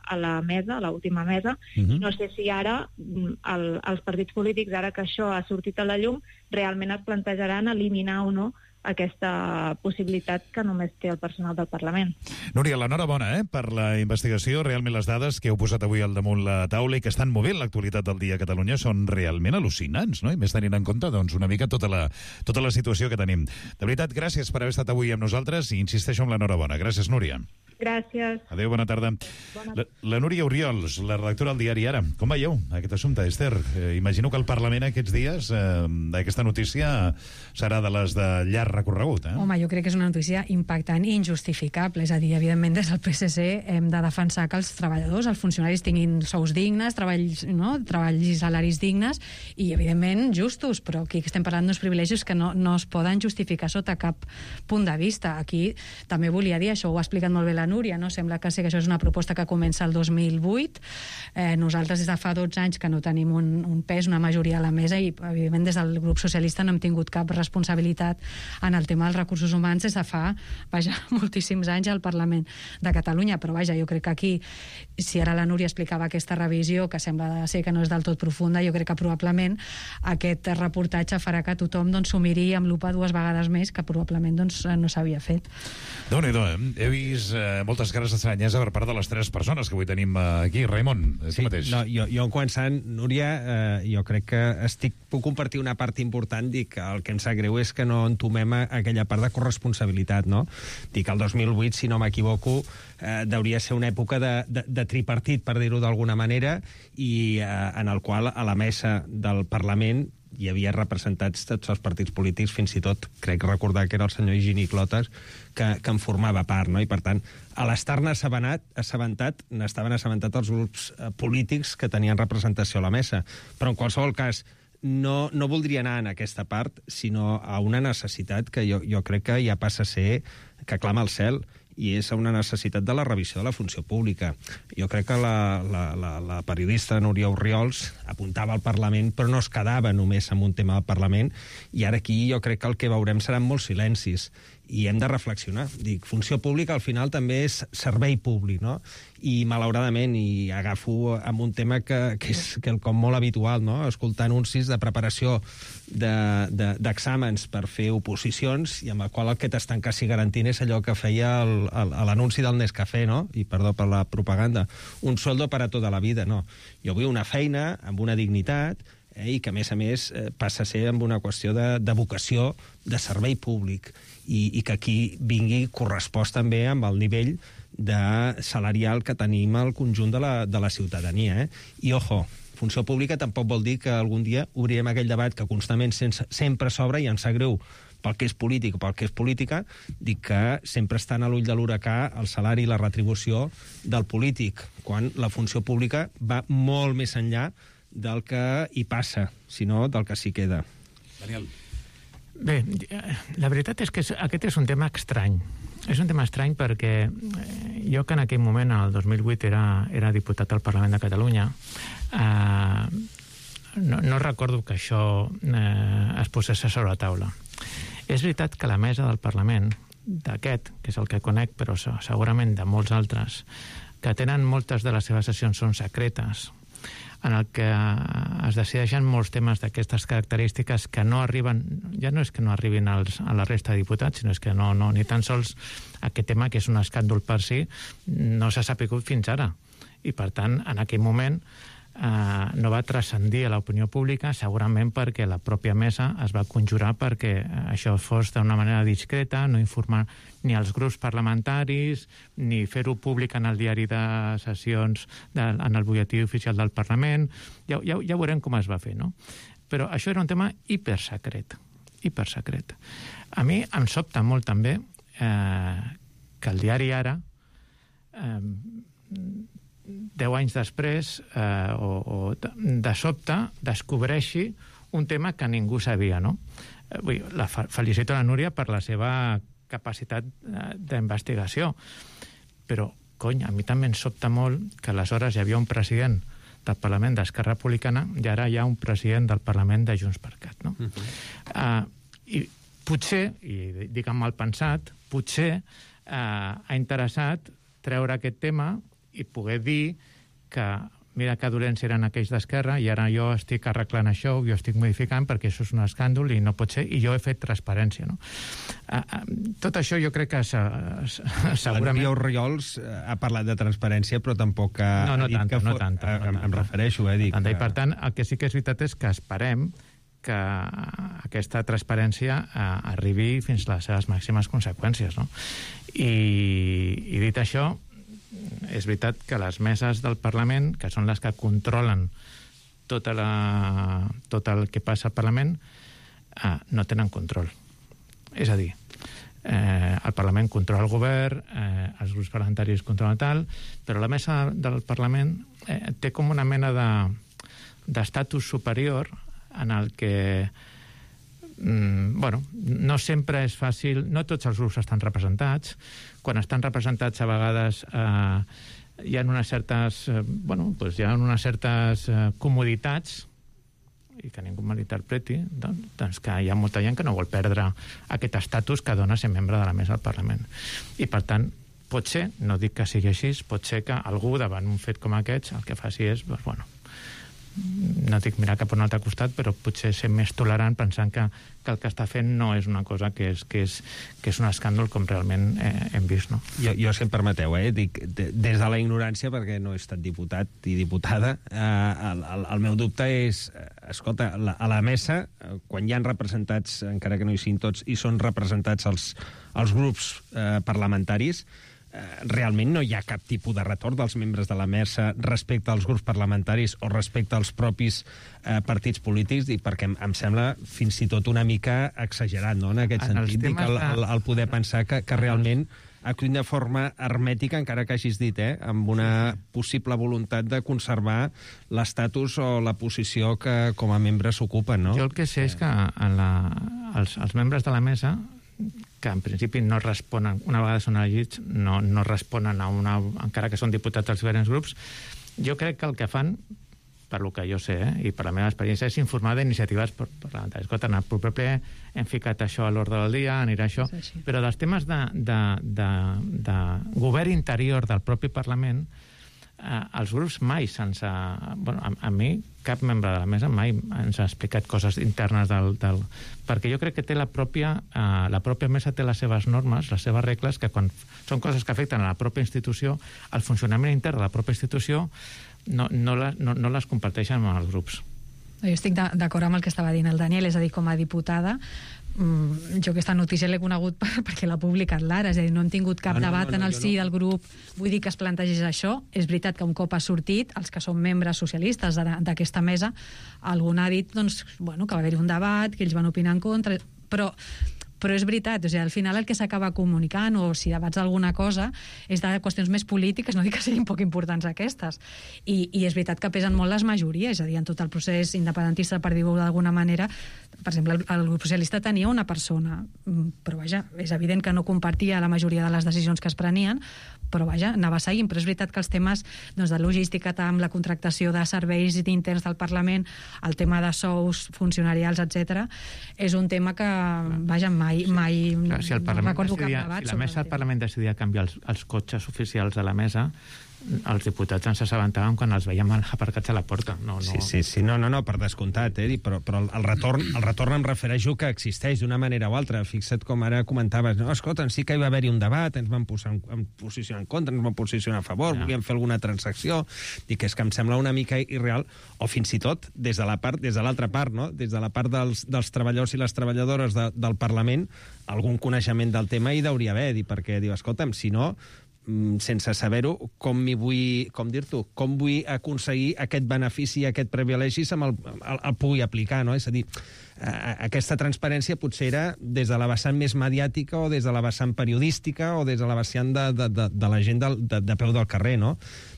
a la mesa, a l'última mesa. No sé si ara els partits polítics, ara que això ha sortit a la llum, realment es plantejaran eliminar o no aquesta possibilitat que només té el personal del Parlament. Núria, l'enhorabona per la investigació. Realment les dades que heu posat avui al damunt la taula i que estan movent l'actualitat del dia a Catalunya són realment al·lucinants, no? I més tenint en compte, doncs, una mica tota la situació que tenim. De veritat, gràcies per haver estat avui amb nosaltres i insisteixo amb l'enhorabona. Gràcies, Núria. Gràcies. Adéu, bona tarda. La Núria Orriols, la redactora del diari Ara. Com veieu aquest assumpte, Esther? Imagino que el Parlament aquests dies, aquesta notícia serà de les de llarg recorregut, Home, jo crec que és una notícia impactant i injustificable. És a dir, evidentment, des del PSC hem de defensar que els treballadors, els funcionaris, tinguin sous dignes, treballs i salaris dignes i, evidentment, justos, però aquí estem parlant d'uns privilegis que no es poden justificar sota cap punt de vista. Aquí també volia dir, això ho ha explicat molt bé la Núria, no? Sembla que sí que això és una proposta que comença el 2008. Nosaltres des de fa 12 anys que no tenim un pes, una majoria a la mesa, i evidentment des del grup socialista no hem tingut cap responsabilitat en el tema dels recursos humans des de fa, moltíssims anys al Parlament de Catalunya. Però jo crec que aquí, si ara la Núria explicava aquesta revisió, que sembla ser que no és del tot profunda, jo crec que probablement aquest reportatge farà que tothom s'ho miri amb lupa 2 vegades més, que probablement no s'havia fet. Déu-n'hi-do, he vist moltes cares d'estranyesa per part de les 3 persones que avui tenim aquí. Raimon, tu mateix. No, jo començant, Núria, jo crec que puc compartir una part important, dic, el que em sap greu és que no entomem aquella part de corresponsabilitat, no? Dic, el 2008, si no m'equivoco, hauria ser una època de tripartit, per dir-ho d'alguna manera, i en el qual a la mesa del Parlament hi havia representats tots els partits polítics, fins i tot, crec recordar que era el senyor Higini Clotas, que en formava part, no? I per tant, a l'estar-ne assabentat, n'estaven assabentats els grups polítics que tenien representació a la mesa. Però en qualsevol cas, no voldria anar en aquesta part, sinó a una necessitat que jo crec que ja passa a ser que clama al cel, i és una necessitat de la revisió de la funció pública. Jo crec que la periodista Núria Orriols apuntava al Parlament, però no es quedava només amb un tema del Parlament, i ara aquí jo crec que el que veurem seran molts silencis, i hem de reflexionar. Dic, funció pública al final també és servei públic, no? I malauradament, i agafo amb un tema que és quelcom molt habitual, no? Escoltar anuncis de preparació d'exàmens per fer oposicions, i amb el qual el que t'estan quasi garantint és allò que feia l'anunci del Nescafé, no? I perdó per la propaganda. Un sueldo para toda la vida, no. Jo vull una feina amb una dignitat, i que, a més, passa a ser amb una qüestió de vocació de servei públic, i que aquí vingui correspost també amb el nivell salarial que tenim al conjunt de la ciutadania. I, ojo, funció pública tampoc vol dir que algun dia obrirem aquell debat que constantment sempre s'obre, i ens sap greu pel que és polític o pel que és política, dic que sempre estan a l'ull de l'huracà el salari i la retribució del polític, quan la funció pública va molt més enllà del que hi passa, sinó del que s'hi queda. Daniel. Bé, la veritat és que aquest és un tema estrany. És un tema estrany perquè jo, que en aquell moment, el 2008, era diputat al Parlament de Catalunya, no recordo que això es posés sobre la taula. És veritat que la mesa del Parlament, d'aquest, que és el que conec, però segurament de molts altres, que tenen moltes de les seves sessions són secretes, en el que es decideixen molts temes d'aquestes característiques que no arriben, ja no és que no arribin a la resta de diputats, sinó és que no, ni tan sols aquest tema, que és un escàndol per si, no s'ha sapigut fins ara. I, per tant, en aquell moment no va transcendir a l'opinió pública, segurament perquè la pròpia mesa es va conjurar perquè això fos d'una manera discreta, no informar ni als grups parlamentaris, ni fer-ho públic en el diari de sessions, en el butlletí oficial del Parlament. Ja veurem com es va fer, no? Però això era un tema hipersecret. A mi em sobta molt també que el diari Ara, 10 anys després, de sobte descobreixi un tema que ningú sabia, no? Felicito a la Núria per la seva capacitat d'investigació, però, a mi també em sobta molt que aleshores hi havia un president del Parlament d'Esquerra Republicana i ara hi ha un president del Parlament de Junts per Cat, no? I potser, i dic amb mal pensat, potser ha interessat treure aquest tema i poder dir que mira que dolents eren aquells d'Esquerra i ara jo estic arreglant això, jo estic modificant perquè això és un escàndol i no pot ser, i jo he fet transparència, no? Tot això jo crec que segurament... La Núria Orriols ha parlat de transparència, però tampoc ha dit que... No tant. Em refereixo, I per tant, el que sí que és veritat és que esperem que aquesta transparència arribi fins a les seves màximes conseqüències, no? I dit això, és veritat que les meses del Parlament, que són les que controlen tot el que passa al Parlament, no tenen control. És a dir, el Parlament controla el govern, els grups parlamentaris controlen tal, però la mesa del Parlament té com una mena d'estatus superior en el que bueno, no sempre és fàcil, no tots els grups estan representats. Quan estan representats, a vegades hi ha unes certes, comoditats, i que ningú malinterpreti, doncs que hi ha molta gent que no vol perdre aquest estatus que dona ser membre de la mesa del Parlament. I, per tant, pot ser, no dic que sigui així, pot ser que algú, davant un fet com aquests, el que faci és, no dic mirar cap a un altre costat, però potser ser més tolerant pensant que el que està fent no és una cosa que és un escàndol com realment hem vist, no? Jo, si em permeteu, dic, des de la ignorància, perquè no he estat diputat i diputada, el meu dubte és, escolta, a la mesa, quan hi ha representats, encara que no hi siguin tots, i són representats els grups parlamentaris, realment no hi ha cap tipus de retorn dels membres de la mesa respecte als grups parlamentaris o respecte als propis partits polítics, perquè em sembla fins i tot una mica exagerat, no?, en aquest sentit, el poder pensar que realment actuïn de forma hermètica, encara que hagis dit, amb una possible voluntat de conservar l'estatus o la posició que com a membres s'ocupen, no? Jo el que sé és que els membres de la mesa, que en principi no responen, una vegada són elegits, no responen encara que són diputats dels diferents grups. Jo crec que el que fan, per lo que jo sé, i per la meva experiència, és informar d'iniciatives parlamentàries. Escolta, en el proper ple hem ficat això a l'ordre del dia, anirà això, però dels temes de govern interior del propi Parlament, els grups mai se'ns ha... a mi, cap membre de la mesa mai ens ha explicat coses internes perquè jo crec que té la pròpia mesa té les seves normes, les seves regles, que quan són coses que afecten a la pròpia institució, el funcionament intern de la pròpia institució no les comparteixen amb els grups. Jo estic d'acord amb el que estava dient el Daniel, és a dir, com a diputada, jo aquesta notícia l'he conegut perquè l'ha publicat l'Ara, és a dir, no hem tingut cap debat en el si del grup, vull dir que es plantegés això. És veritat que un cop ha sortit, els que són membres socialistes d'aquesta mesa, algú ha dit que va haver-hi un debat, que ells van opinar en contra, però és veritat, o sigui, al final el que s'acaba comunicant, o si debats alguna cosa, és de qüestions més polítiques, no dic que siguin poc importants aquestes, i és veritat que pesen molt les majories, és a dir, en tot el procés independentista, per dir-ho d'alguna manera, per exemple, el grup socialista tenia una persona, però vaja, és evident que no compartia la majoria de les decisions que es prenien, però vaja, anava seguint. Però és veritat que els temes de logística, amb la contractació de serveis interns del Parlament, el tema de sous funcionarials, etc., és un tema que, vaja, mai clar, si no recordo cap debat. Si la mesa del Parlament decidia canviar els cotxes oficials de la mesa, els diputats ens assabentàvem quan els veiem aparcats a la porta. Sí, no, per descomptat, però el retorn em refereixo que existeix d'una manera o altra. Fixa't com ara comentaves, no, escolta, sí que hi va haver-hi un debat, ens vam posicionar en contra, ens vam posicionar a favor, volíem fer alguna transacció, i que és que em sembla una mica irreal, o fins i tot des de l'altra part, no? Des de la part dels treballadors i les treballadores del Parlament, algun coneixement del tema hi hauria haver, perquè diu, escolta'm, si no, sense saber-ho, com vull aconseguir aquest benefici, aquest privilegi, el pugui aplicar, no? És a dir, aquesta transparència potser era des de la vessant més mediàtica o des de la vessant periodística o des de la vessant de la gent de peu del carrer, no?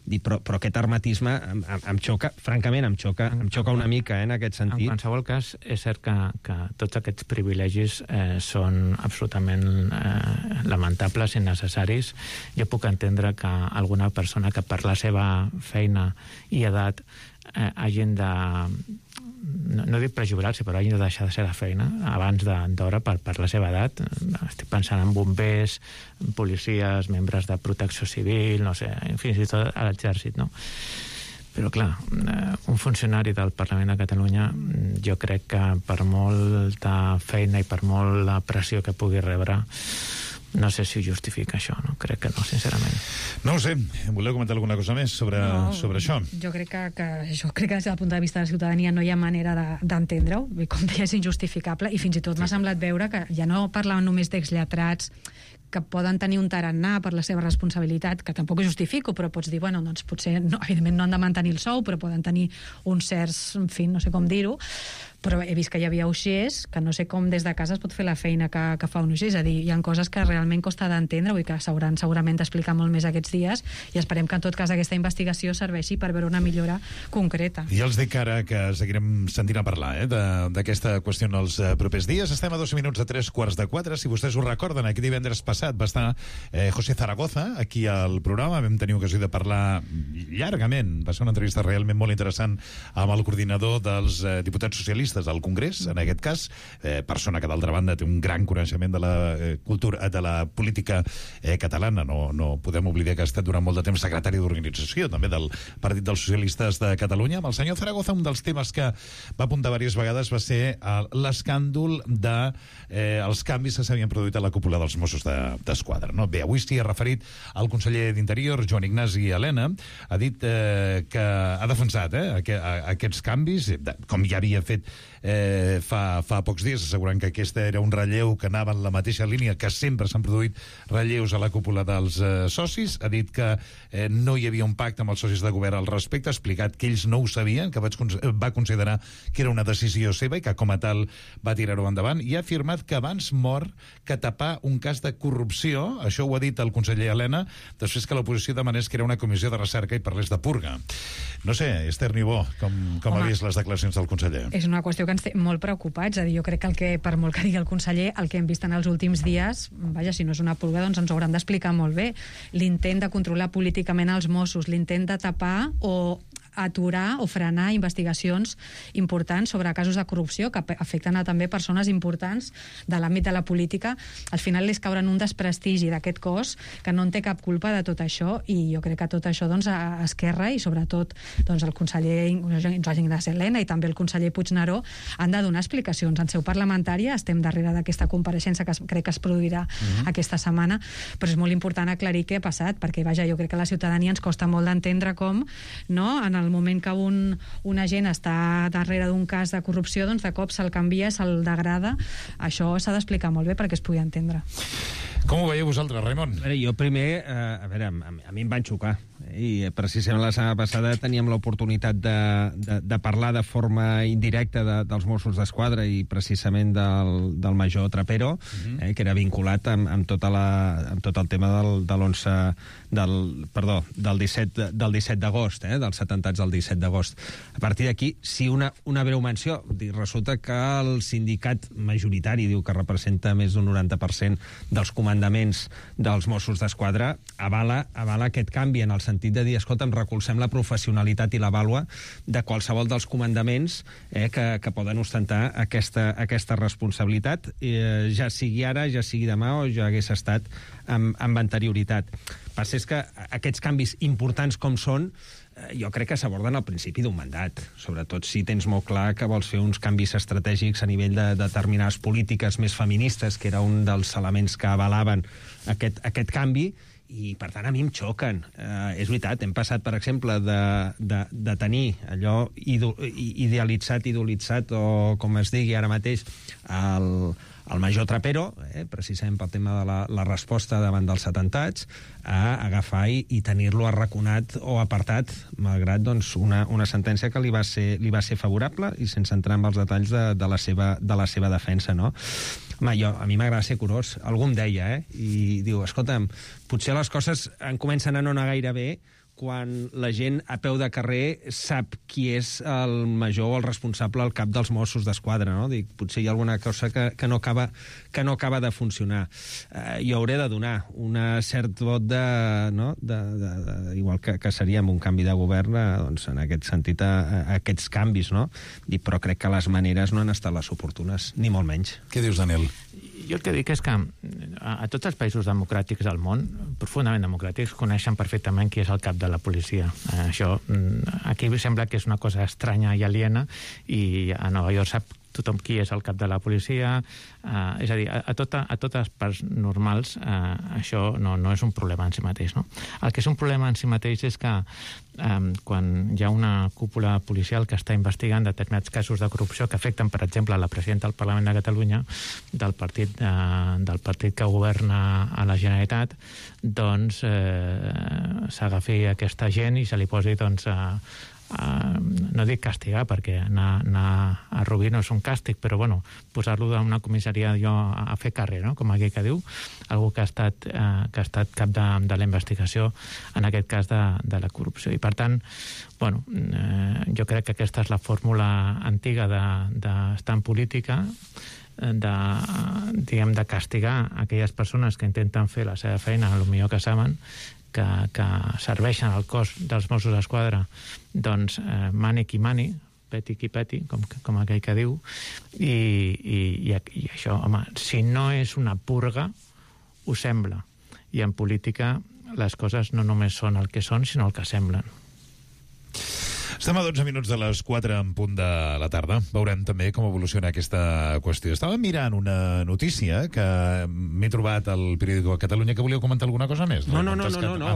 Però aquest hermetisme em xoca, francament, em xoca una mica, en aquest sentit. En qualsevol cas, és cert que tots aquests privilegis són absolutament lamentables i necessaris. Jo puc entendre que alguna persona que per la seva feina i edat hagin de... no dic prejubilar-se, però hagin de deixar de ser la feina abans d'hora per la seva edat. Estic pensant en bombers, policies, membres de protecció civil, no sé, fins i tot a l'exèrcit, no? Però, clar, un funcionari del Parlament de Catalunya, jo crec que per molta feina i per molt la pressió que pugui rebre, no sé si ho justifica això, no? Crec que no, sincerament. No ho sé. Voleu comentar alguna cosa més sobre això? Jo crec que des del punt de vista de la ciutadania no hi ha manera d'entendre-ho. Com deia, és injustificable, i fins i tot m'ha semblat veure que ja no parlaven només d'exlletrats que poden tenir un tarannà per la seva responsabilitat, que tampoc ho justifico, però pots dir, bueno, doncs potser, no, evidentment no han de mantenir el sou, però poden tenir uns certs, en fi, no sé com dir-ho, però he vist que hi havia uixers, que no sé com des de casa es pot fer la feina que fa un uixer, és a dir, hi ha coses que realment costa d'entendre, vull que s'hauran segurament d'explicar molt més aquests dies, i esperem que en tot cas aquesta investigació serveixi per veure una millora concreta. I els dic ara que seguirem sentint a parlar d'aquesta qüestió en els propers dies. Estem a 2 minuts de 3:45. Si vostès ho recorden, aquest divendres passat va estar José Zaragoza aquí al programa, vam tenir ocasió de parlar llargament, va ser una entrevista realment molt interessant amb el coordinador dels diputats socialistes al Congrés, en aquest cas, persona que d'altra banda té un gran coneixement de la cultura, de la política catalana. No podem oblidar que ha estat durant molt de temps secretari d'organització també del Partit dels Socialistes de Catalunya. Amb el senyor Zaragoza, un dels temes que va apuntar diverses vegades va ser l'escàndol dels canvis que s'havien produït a la cúpula dels Mossos d'Esquadra. Bé, avui s'hi ha referit el conseller d'Interior, Joan Ignasi Elena, ha dit que ha defensat aquests canvis, com ja havia fet fa pocs dies, assegurant que aquest era un relleu que anava en la mateixa línia que sempre s'han produït relleus a la cúpula dels socis. Ha dit que no hi havia un pacte amb els socis de govern al respecte, ha explicat que ells no ho sabien, que va considerar que era una decisió seva i que com a tal va tirar-ho endavant, i ha afirmat que abans mor que tapar un cas de corrupció. Això ho ha dit el conseller Elena després que l'oposició demanés que era una comissió de recerca i parlés de purga. No sé, Esther Niubó, com ha vist les declaracions del conseller? És una qüestió que ens té molt preocupats. És a dir, jo crec que per molt que digui el conseller, el que hem vist en els últims dies, vaja, si no és una purga, doncs ens ho hauran d'explicar molt bé. L'intent de controlar políticament els Mossos, l'intent de tapar o aturar o frenar investigacions importants sobre casos de corrupció que afecten a també persones importants de l'àmbit de la política, al final les cauren un desprestigi d'aquest cos que no en té cap culpa de tot això, i jo crec que tot això doncs, a Esquerra i sobretot doncs, el conseller Joan Ignasi Elena i també el conseller Puigneró han de donar explicacions en seu parlamentària. Estem darrere d'aquesta compareixença que crec que es produirà aquesta setmana, però és molt important aclarir què ha passat, perquè vaja, jo crec que a la ciutadania ens costa molt d'entendre com, no?, en el moment que un agent està darrere d'un cas de corrupció, doncs de cop se'l canvia, se'l degrada. Això s'ha d'explicar molt bé perquè es pugui entendre. Com ho veieu vosaltres, Raimon? Jo primer, a mi em van xocar. I precisament la setmana passada teníem l'oportunitat de parlar de forma indirecta dels Mossos d'Esquadra i precisament del major Trapero, que era vinculat amb tot el tema del 17 d'agost, dels atemptats del 17 d'agost. A partir d'aquí, sí, una breu menció. Resulta que el sindicat majoritari diu que representa més d'un 90% dels comandaments dels Mossos d'Esquadra, avala aquest canvi en el sentit de dir, escolta'm, recolzem la professionalitat i la vàlua de qualsevol dels comandaments que poden ostentar aquesta responsabilitat, ja sigui ara, ja sigui demà o ja hagués estat amb anterioritat. El que passa és que aquests canvis importants com són, jo crec que s'aborden al principi d'un mandat, sobretot si tens molt clar que vols fer uns canvis estratègics a nivell de determinades polítiques més feministes, que era un dels elements que avalaven aquest canvi, i per tant a mi em xoquen. És veritat, hem passat, per exemple, de tenir allò idealitzat, idolitzat, o com es digui ara mateix, el major Trapero, precisament pel tema de la resposta davant dels atemptats, a agafar i tenir-lo arraconat o apartat, malgrat doncs, una sentència que li va ser favorable, i sense entrar en els detalls de la seva defensa, no? Home, a mi m'agrada ser curós. Algú em deia, i diu, escolta'm, potser les coses comencen a no anar gaire bé quan la gent a peu de carrer sap qui és el major o el responsable al cap dels Mossos d'Esquadra, no? Dic, potser hi ha alguna cosa que no acaba de funcionar. Jo hauré de donar un cert vot igual que seria amb un canvi de govern, doncs, en aquest sentit, aquests canvis, no? Però crec que les maneres no han estat les oportunes, ni molt menys. Què dius, Daniel? Jo el que dic és que a tots els països democràtics del món, profundament democràtics, coneixen perfectament qui és el cap de la policia. Això aquí sembla que és una cosa estranya i aliena, i a Nova York sap tothom qui és el cap de la policia, és a dir, a totes parts normals això no és un problema en si mateix, no? El que és un problema en si mateix és que quan hi ha una cúpula policial que està investigant determinats casos de corrupció que afecten, per exemple, la presidenta del Parlament de Catalunya, del partit que governa a la Generalitat, doncs s'agafi aquesta gent i se li posi, doncs, no dic castigar, perquè anar a Rubí no és un càstig, però bueno, posar-lo en una comissaria a fer carrer, no? Com aquell que diu, algú que ha estat cap de la investigació, en aquest cas de la corrupció. I per tant, bueno, jo crec que aquesta és la fórmula antiga d'estar en política, de castigar aquelles persones que intenten fer la seva feina el millor que saben, que serveixen al cos dels Mossos d'Esquadra, doncs mani qui mani, peti qui peti, com aquell que diu, i això, home, si no és una purga, ho sembla. I en política les coses no només són el que són, sinó el que semblen. Estem a 12 minuts de les 4 en punt de la tarda. Veurem també com evoluciona aquesta qüestió. Estava mirant una notícia que m'he trobat al periòdico de Catalunya. Que volíeu comentar alguna cosa més? No.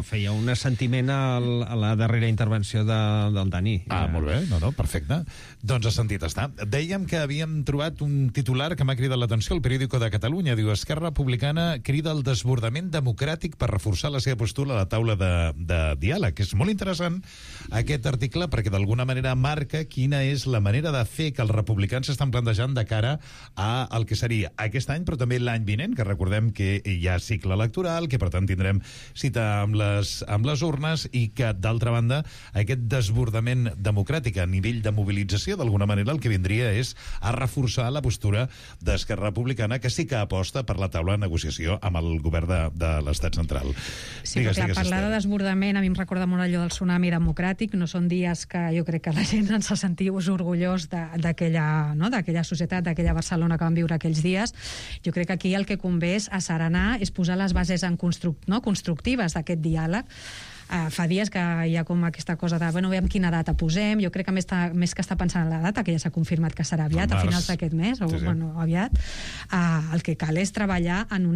Feia un assentiment a la darrera intervenció del Dani. Molt bé. No, perfecte. Doncs a sentit està. Dèiem que havíem trobat un titular que m'ha cridat l'atenció al periòdico de Catalunya. Diu, Esquerra Republicana crida el desbordament democràtic per reforçar la seva postura a la taula de diàleg. És molt interessant aquest article perquè d'alguna manera marca quina és la manera de fer que els republicans s'estan plantejant de cara al que seria aquest any, però també l'any vinent, que recordem que hi ha cicle electoral, que per tant tindrem cita amb les urnes i que, d'altra banda, aquest desbordament democràtic a nivell de mobilització, d'alguna manera, el que vindria és a reforçar la postura d'Esquerra Republicana, que sí que aposta per la taula de negociació amb el govern de l'Estat central. Sí, perquè parlar de desbordament a mi em recorda molt allò del tsunami democràtic. No són dies que jo crec que la gent ens ha sentit orgullós d'aquella societat, d'aquella Barcelona que vam viure aquells dies. Jo crec que aquí el que convé és asserenar, és posar les bases constructives d'aquest diàleg. Fa dies que hi ha com aquesta cosa de, veiem quina data posem. Jo crec que més que està pensant en la data, que ja s'ha confirmat que serà aviat, a finals d'aquest mes, aviat, el que cal és treballar en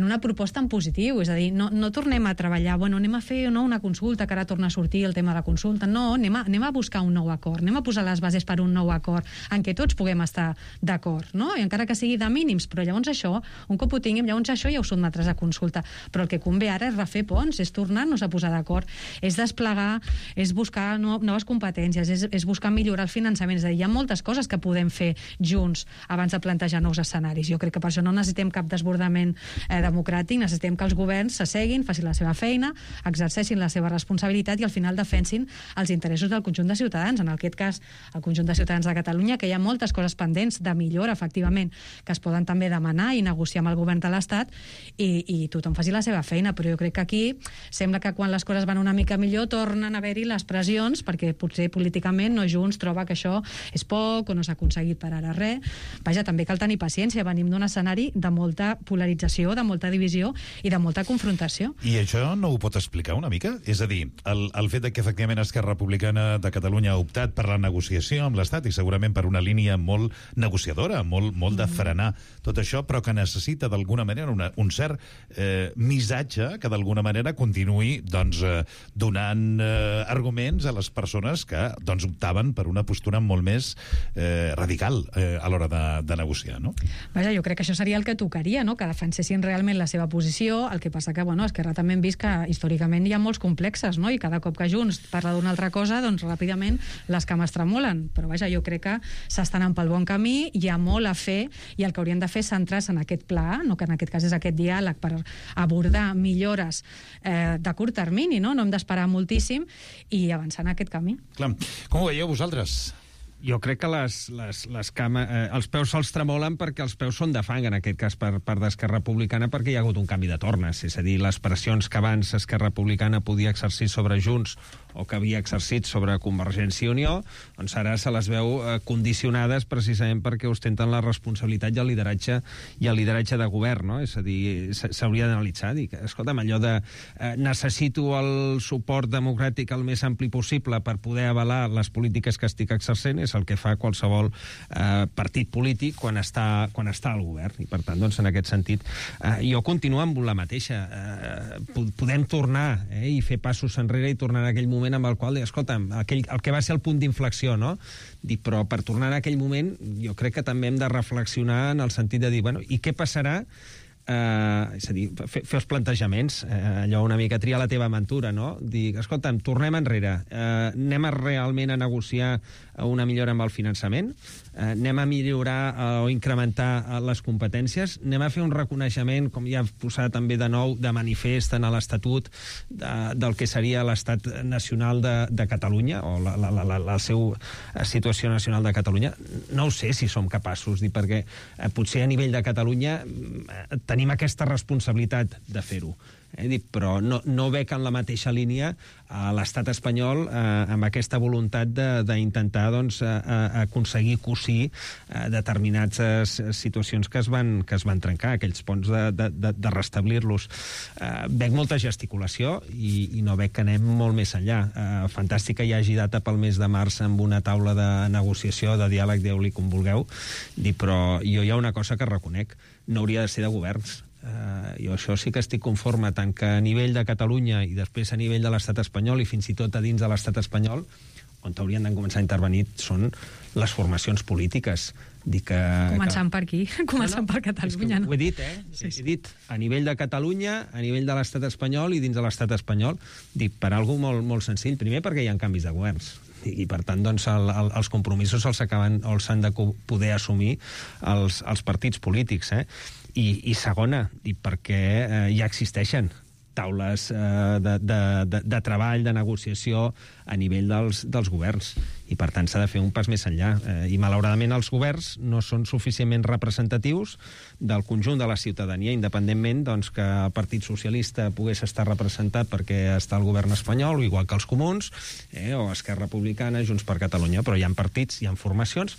una proposta en positiu, és a dir, no tornem a treballar, anem a fer una consulta, que ara torna a sortir el tema de la consulta, no, anem a buscar un nou acord, anem a posar les bases per un nou acord en què tots puguem estar d'acord, no? I encara que sigui de mínims, però llavors això, un cop ho tinguem, llavors això ja ho sotmetràs a consulta, però el que convé ara és refer ponts, és tornar-nos a posar d'acord, és desplegar, és buscar noves competències, és buscar millorar el finançament, és a dir, hi ha moltes coses que podem fer junts abans de plantejar nous escenaris. Jo crec que per això no necessitem cap desbordament democràtic, necessitem que els governs s'asseguin, facin la seva feina, exerceixin la seva responsabilitat i al final defensin els interessos del conjunt de ciutadans, en aquest cas el conjunt de ciutadans de Catalunya, que hi ha moltes coses pendents de millora, efectivament, que es poden també demanar i negociar amb el govern de l'Estat i tothom faci la seva feina, però jo crec que aquí sembla que quan les coses van una mica millor tornen a haver-hi les pressions, perquè potser políticament Junts troba que això és poc o no s'ha aconseguit per ara res. Vaja, també cal tenir paciència, venim d'un escenari de molta polarització, de molta divisió i de molta confrontació. I això no ho pot explicar una mica? És a dir, el fet de que efectivament Esquerra Republicana de Catalunya ha optat per la negociació amb l'Estat i segurament per una línia molt negociadora, molt de frenar tot això, però que necessita d'alguna manera un cert missatge que d'alguna manera continuï donant arguments a les persones que optaven per una postura molt més radical a l'hora de negociar, no? Vaja, jo crec que això seria el que tocaria, no? Que defensessin realment la seva posició. El que passa que, Esquerra també hem vist que històricament hi ha molts complexes, no? I cada cop que Junts parla d'una altra cosa, doncs ràpidament les cames tremolen. Però vaja, jo crec que s'estan anant pel bon camí, hi ha molt a fer, i el que haurien de fer és centrar-se en aquest pla, no? Que en aquest cas és aquest diàleg per abordar millores de curt termini, no? No hem d'esperar moltíssim i avançar en aquest camí. Clar. Com ho veieu vosaltres? Jo crec que els peus se'ls tremolen perquè els peus són de fang, en aquest cas per d'Esquerra Republicana, perquè hi ha hagut un canvi de tornes. És a dir, les pressions que abans Esquerra Republicana podia exercir sobre Junts o que havia exercit sobre Convergència i Unió, doncs ara se les veu condicionades precisament perquè ostenten la responsabilitat i el lideratge de govern, no? És a dir, s'hauria d'analitzar, dir que, escolta'm, allò de necessito el suport democràtic el més ampli possible per poder avalar les polítiques que estic exercent, és el que fa qualsevol partit polític quan està al govern. I, per tant, doncs, en aquest sentit, jo continuo amb la mateixa. Podem tornar i fer passos enrere i tornar a aquell moment amb el qual, escolta'm, el que va ser el punt d'inflexió, no? Dic, però per tornar a aquell moment, jo crec que també hem de reflexionar en el sentit de dir, bueno, i què passarà? És a dir, fer els plantejaments, allò una mica triar la teva aventura, no? Dir, escolta'm, tornem enrere, anem realment a negociar una millora amb el finançament, anem a millorar o incrementar les competències, anem a fer un reconeixement, com ja he posat també de nou, de manifest en l'Estatut del que seria l'Estat Nacional de Catalunya, o la seva situació nacional de Catalunya. No ho sé si som capaços, perquè potser a nivell de Catalunya tenim aquesta responsabilitat de fer-ho. Però no veig en la mateixa línia a l'estat espanyol amb aquesta voluntat d'intentar aconseguir cosir determinades situacions que es van trencar, aquells ponts de restablir-los. Veig molta gesticulació i no veig que anem molt més enllà. Fantàstic que hi hagi data pel mes de març amb una taula de negociació, de diàleg, dieu-li com vulgueu, però jo hi ha una cosa que reconec, no hauria de ser de governs. Jo això sí que estic conforme, tant que a nivell de Catalunya i després a nivell de l'estat espanyol i fins i tot a dins de l'estat espanyol, on haurien de començar a intervenir són les formacions polítiques. Començant per aquí, començant per Catalunya. Ho he dit, He dit a nivell de Catalunya, a nivell de l'estat espanyol i dins de l'estat espanyol. Dic, per algú molt senzill. Primer, perquè hi ha canvis de governs. I, per tant, doncs, els compromisos els han de poder assumir els partits polítics, I segona, perquè ja existeixen taules de treball, de negociació a nivell dels governs. I, per tant, s'ha de fer un pas més enllà. I, malauradament, els governs no són suficientment representatius del conjunt de la ciutadania, independentment que el Partit Socialista pogués estar representat perquè està al govern espanyol, igual que els Comuns, o Esquerra Republicana, Junts per Catalunya. Però hi ha partits, hi ha formacions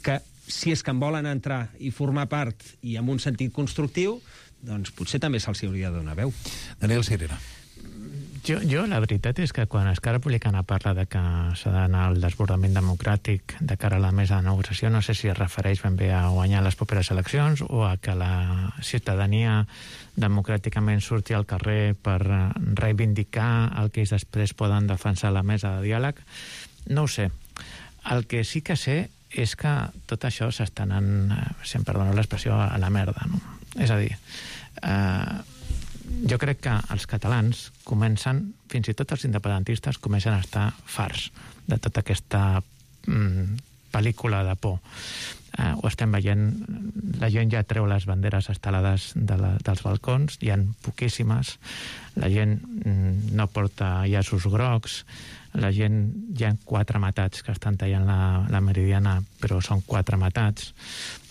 que, si és que en volen entrar i formar part i amb un sentit constructiu, doncs potser també se'ls hauria de donar veu. Daniel Sirera. Jo la veritat és que quan Esquerra Republicana parla de que s'ha d'anar al desbordament democràtic de cara a la mesa de negociació, no sé si es refereix ben bé a guanyar les properes eleccions o a que la ciutadania democràticament surti al carrer per reivindicar el que ells després poden defensar a la mesa de diàleg. No ho sé. El que sí que sé és que tot això s'està anant, si em perdoneu l'expressió, a la merda, no? És a dir, jo crec que els catalans comencen, fins i tot els independentistes, comencen a estar farts de tota aquesta pel·lícula de por. Ho estem veient, la gent ja treu les banderes estelades dels balcons, hi ha poquíssimes, la gent no porta llaços grocs, la gent, hi ha 4 matats que estan tallant la Meridiana, però són 4 matats.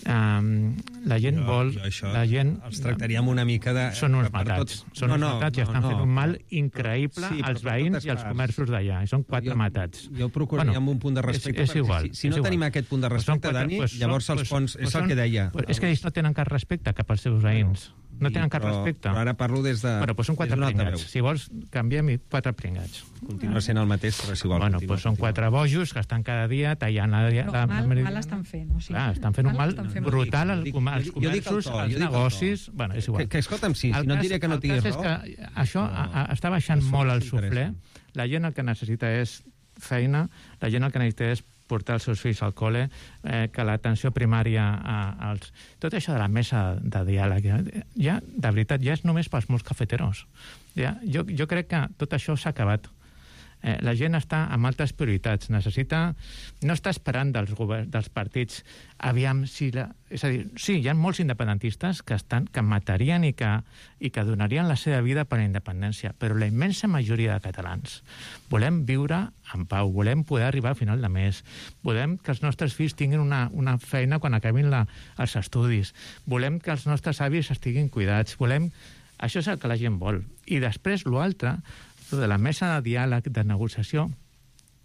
La gent vol... La gent els tractaríem una mica de... Són uns matats. Són uns matats i estan fent un mal increïble als veïns i als comerços d'allà. I són 4 matats. Jo procuraria amb un punt de respecte. És igual. Si no tenim aquest punt de respecte, Dani, llavors els ponts... És el que deia. És que ells no tenen cap respecte cap als seus veïns. No tenen cap respecte. Però ara parlo des de... Bueno, doncs són 4 pringats. Si vols, canviem-hi 4 pringats. Continua sent el mateix, però és igual. Bueno, doncs són 4 bojos que estan cada dia tallant la Mal estan fent. Clar, estan fent un mal brutal als comerços, als negocis... Bueno, és igual. Que escolta'm, sí, no et diré que no tinguis raó. El cas és que això està baixant molt el suflé. La gent el que necessita és feina, la gent el que necessita és portar els seus fills al col·le, que l'atenció primària als... Tot això de la mesa de diàleg, ja, de veritat, ja és només pels molts cafeteros. Ja, jo crec que tot això s'ha acabat. La gent està amb altres prioritats. No està esperant dels partits aviam si... És a dir, sí, hi ha molts independentistes que matarien i que donarien la seva vida per la independència, però la immensa majoria de catalans volem viure en pau, volem poder arribar al final de mes, volem que els nostres fills tinguin una feina quan acabin els estudis, volem que els nostres avis estiguin cuidats, volem... Això és el que la gent vol. I després, l'altre, de la mesa de diàleg, de negociació,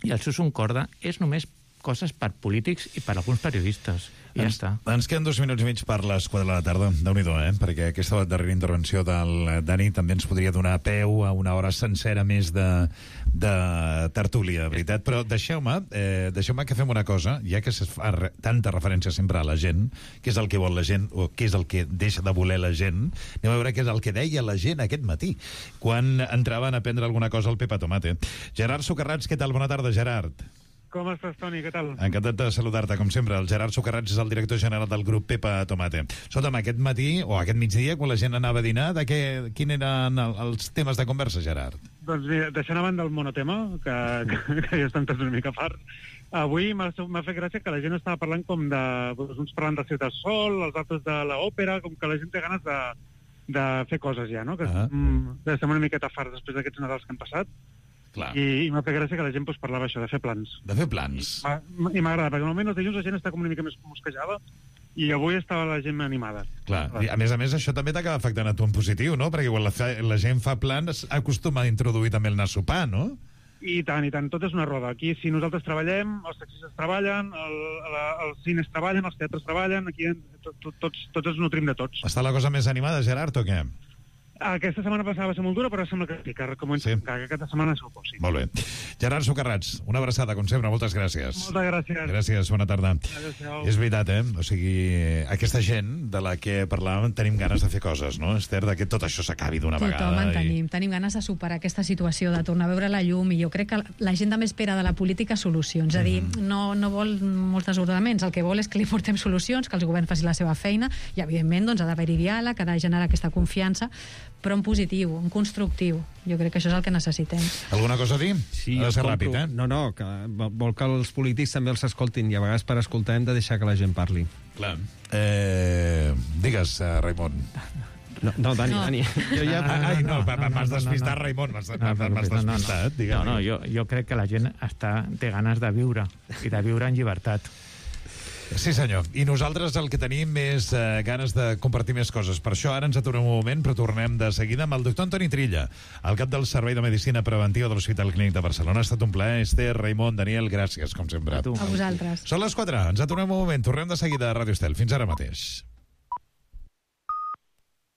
i el Susun Corda és només coses per polítics i per alguns periodistes. I ja està. Ens queden 2 minuts i mig per les 4 de la tarda. Déu-n'hi-do, perquè aquesta darrera intervenció del Dani també ens podria donar peu a una hora sencera més de tertúlia, veritat. Però deixeu-me que fem una cosa, ja que es fa tanta referència sempre a la gent, què és el que vol la gent o què és el que deixa de voler la gent, anem a veure què és el que deia la gent aquest matí, quan entraven a prendre alguna cosa al Pepa Tomate. Gerard Socarrats, què tal? Bona tarda, Gerard. Com estàs, Toni? Què tal? Encantat de saludar-te, com sempre. El Gerard Socarrats és el director general del grup Pepa Tomate. Escolta'm, aquest matí, o aquest migdia, quan la gent anava a dinar, quin eren els temes de conversa, Gerard? Doncs mira, deixant a banda el monotema, que ja estan tots una mica farts, avui m'ha fet gràcia que la gent estava parlant com de... uns parlant de Ciutat Sol, els altres de l'òpera, com que la gent té ganes de fer coses ja, no? Que estem una miqueta farts després d'aquests Nadals que han passat. Clar. I m'ha fet gràcia que la gent parlava això, de fer plans. De fer plans. I m'agrada, perquè normalment els dilluns la gent està com una mica més mosquejada i avui estava la gent animada. Clar, i a més, això també t'acaba afectant a tu en positiu, no? Perquè quan la gent fa plans acostuma a introduir també el anar a sopar, no? I tant, tot és una roda. Aquí, si nosaltres treballem, els taxistes treballen, els cines treballen, els teatres treballen, aquí tots ens nutrim de tots. Està la cosa més animada, Gerard, o què? Aquesta setmana passada va ser molt dura, però sembla que aquesta setmana segur que sí. Molt bé. Gerard Socarrats, una abraçada, com sempre, moltes gràcies. Moltes gràcies. Gràcies, bona tarda. Adéu-siau. És veritat, O sigui, aquesta gent de la que parlàvem tenim ganes de fer coses, no, Esther? Que tot això s'acabi d'una vegada. Tothom tenim ganes de superar aquesta situació, de tornar a veure la llum, i jo crec que la gent també espera de la política solucions. És a dir, no vol molts desordenaments, el que vol és que li portem solucions, que el govern faci la seva feina, i evidentment ha d'haver-hi diàleg, ha de generar aquesta confiança, però en positiu, en constructiu. Jo crec que això és el que necessitem. Alguna cosa a dir? Sí, ha de ser ràpid, No, que vol que els polítics també els escoltin, i a vegades per escoltar hem de deixar que la gent parli. Clar. Digues, Raimon. No, Dani. M'has despistat, Raimon. M'has despistat. No, jo crec que la gent té ganes de viure, i de viure en llibertat. Sí, senyor. I nosaltres el que tenim és ganes de compartir més coses. Per això ara ens aturem un moment, però tornem de seguida amb el doctor Antoni Trilla, el cap del Servei de Medicina Preventiva de l'Hospital Clínic de Barcelona. Ha estat un plaer. Esther, Raimon, Daniel, gràcies, com sempre. A vosaltres. Són les 4. Ens aturem un moment. Tornem de seguida a Ràdio Estel. Fins ara mateix.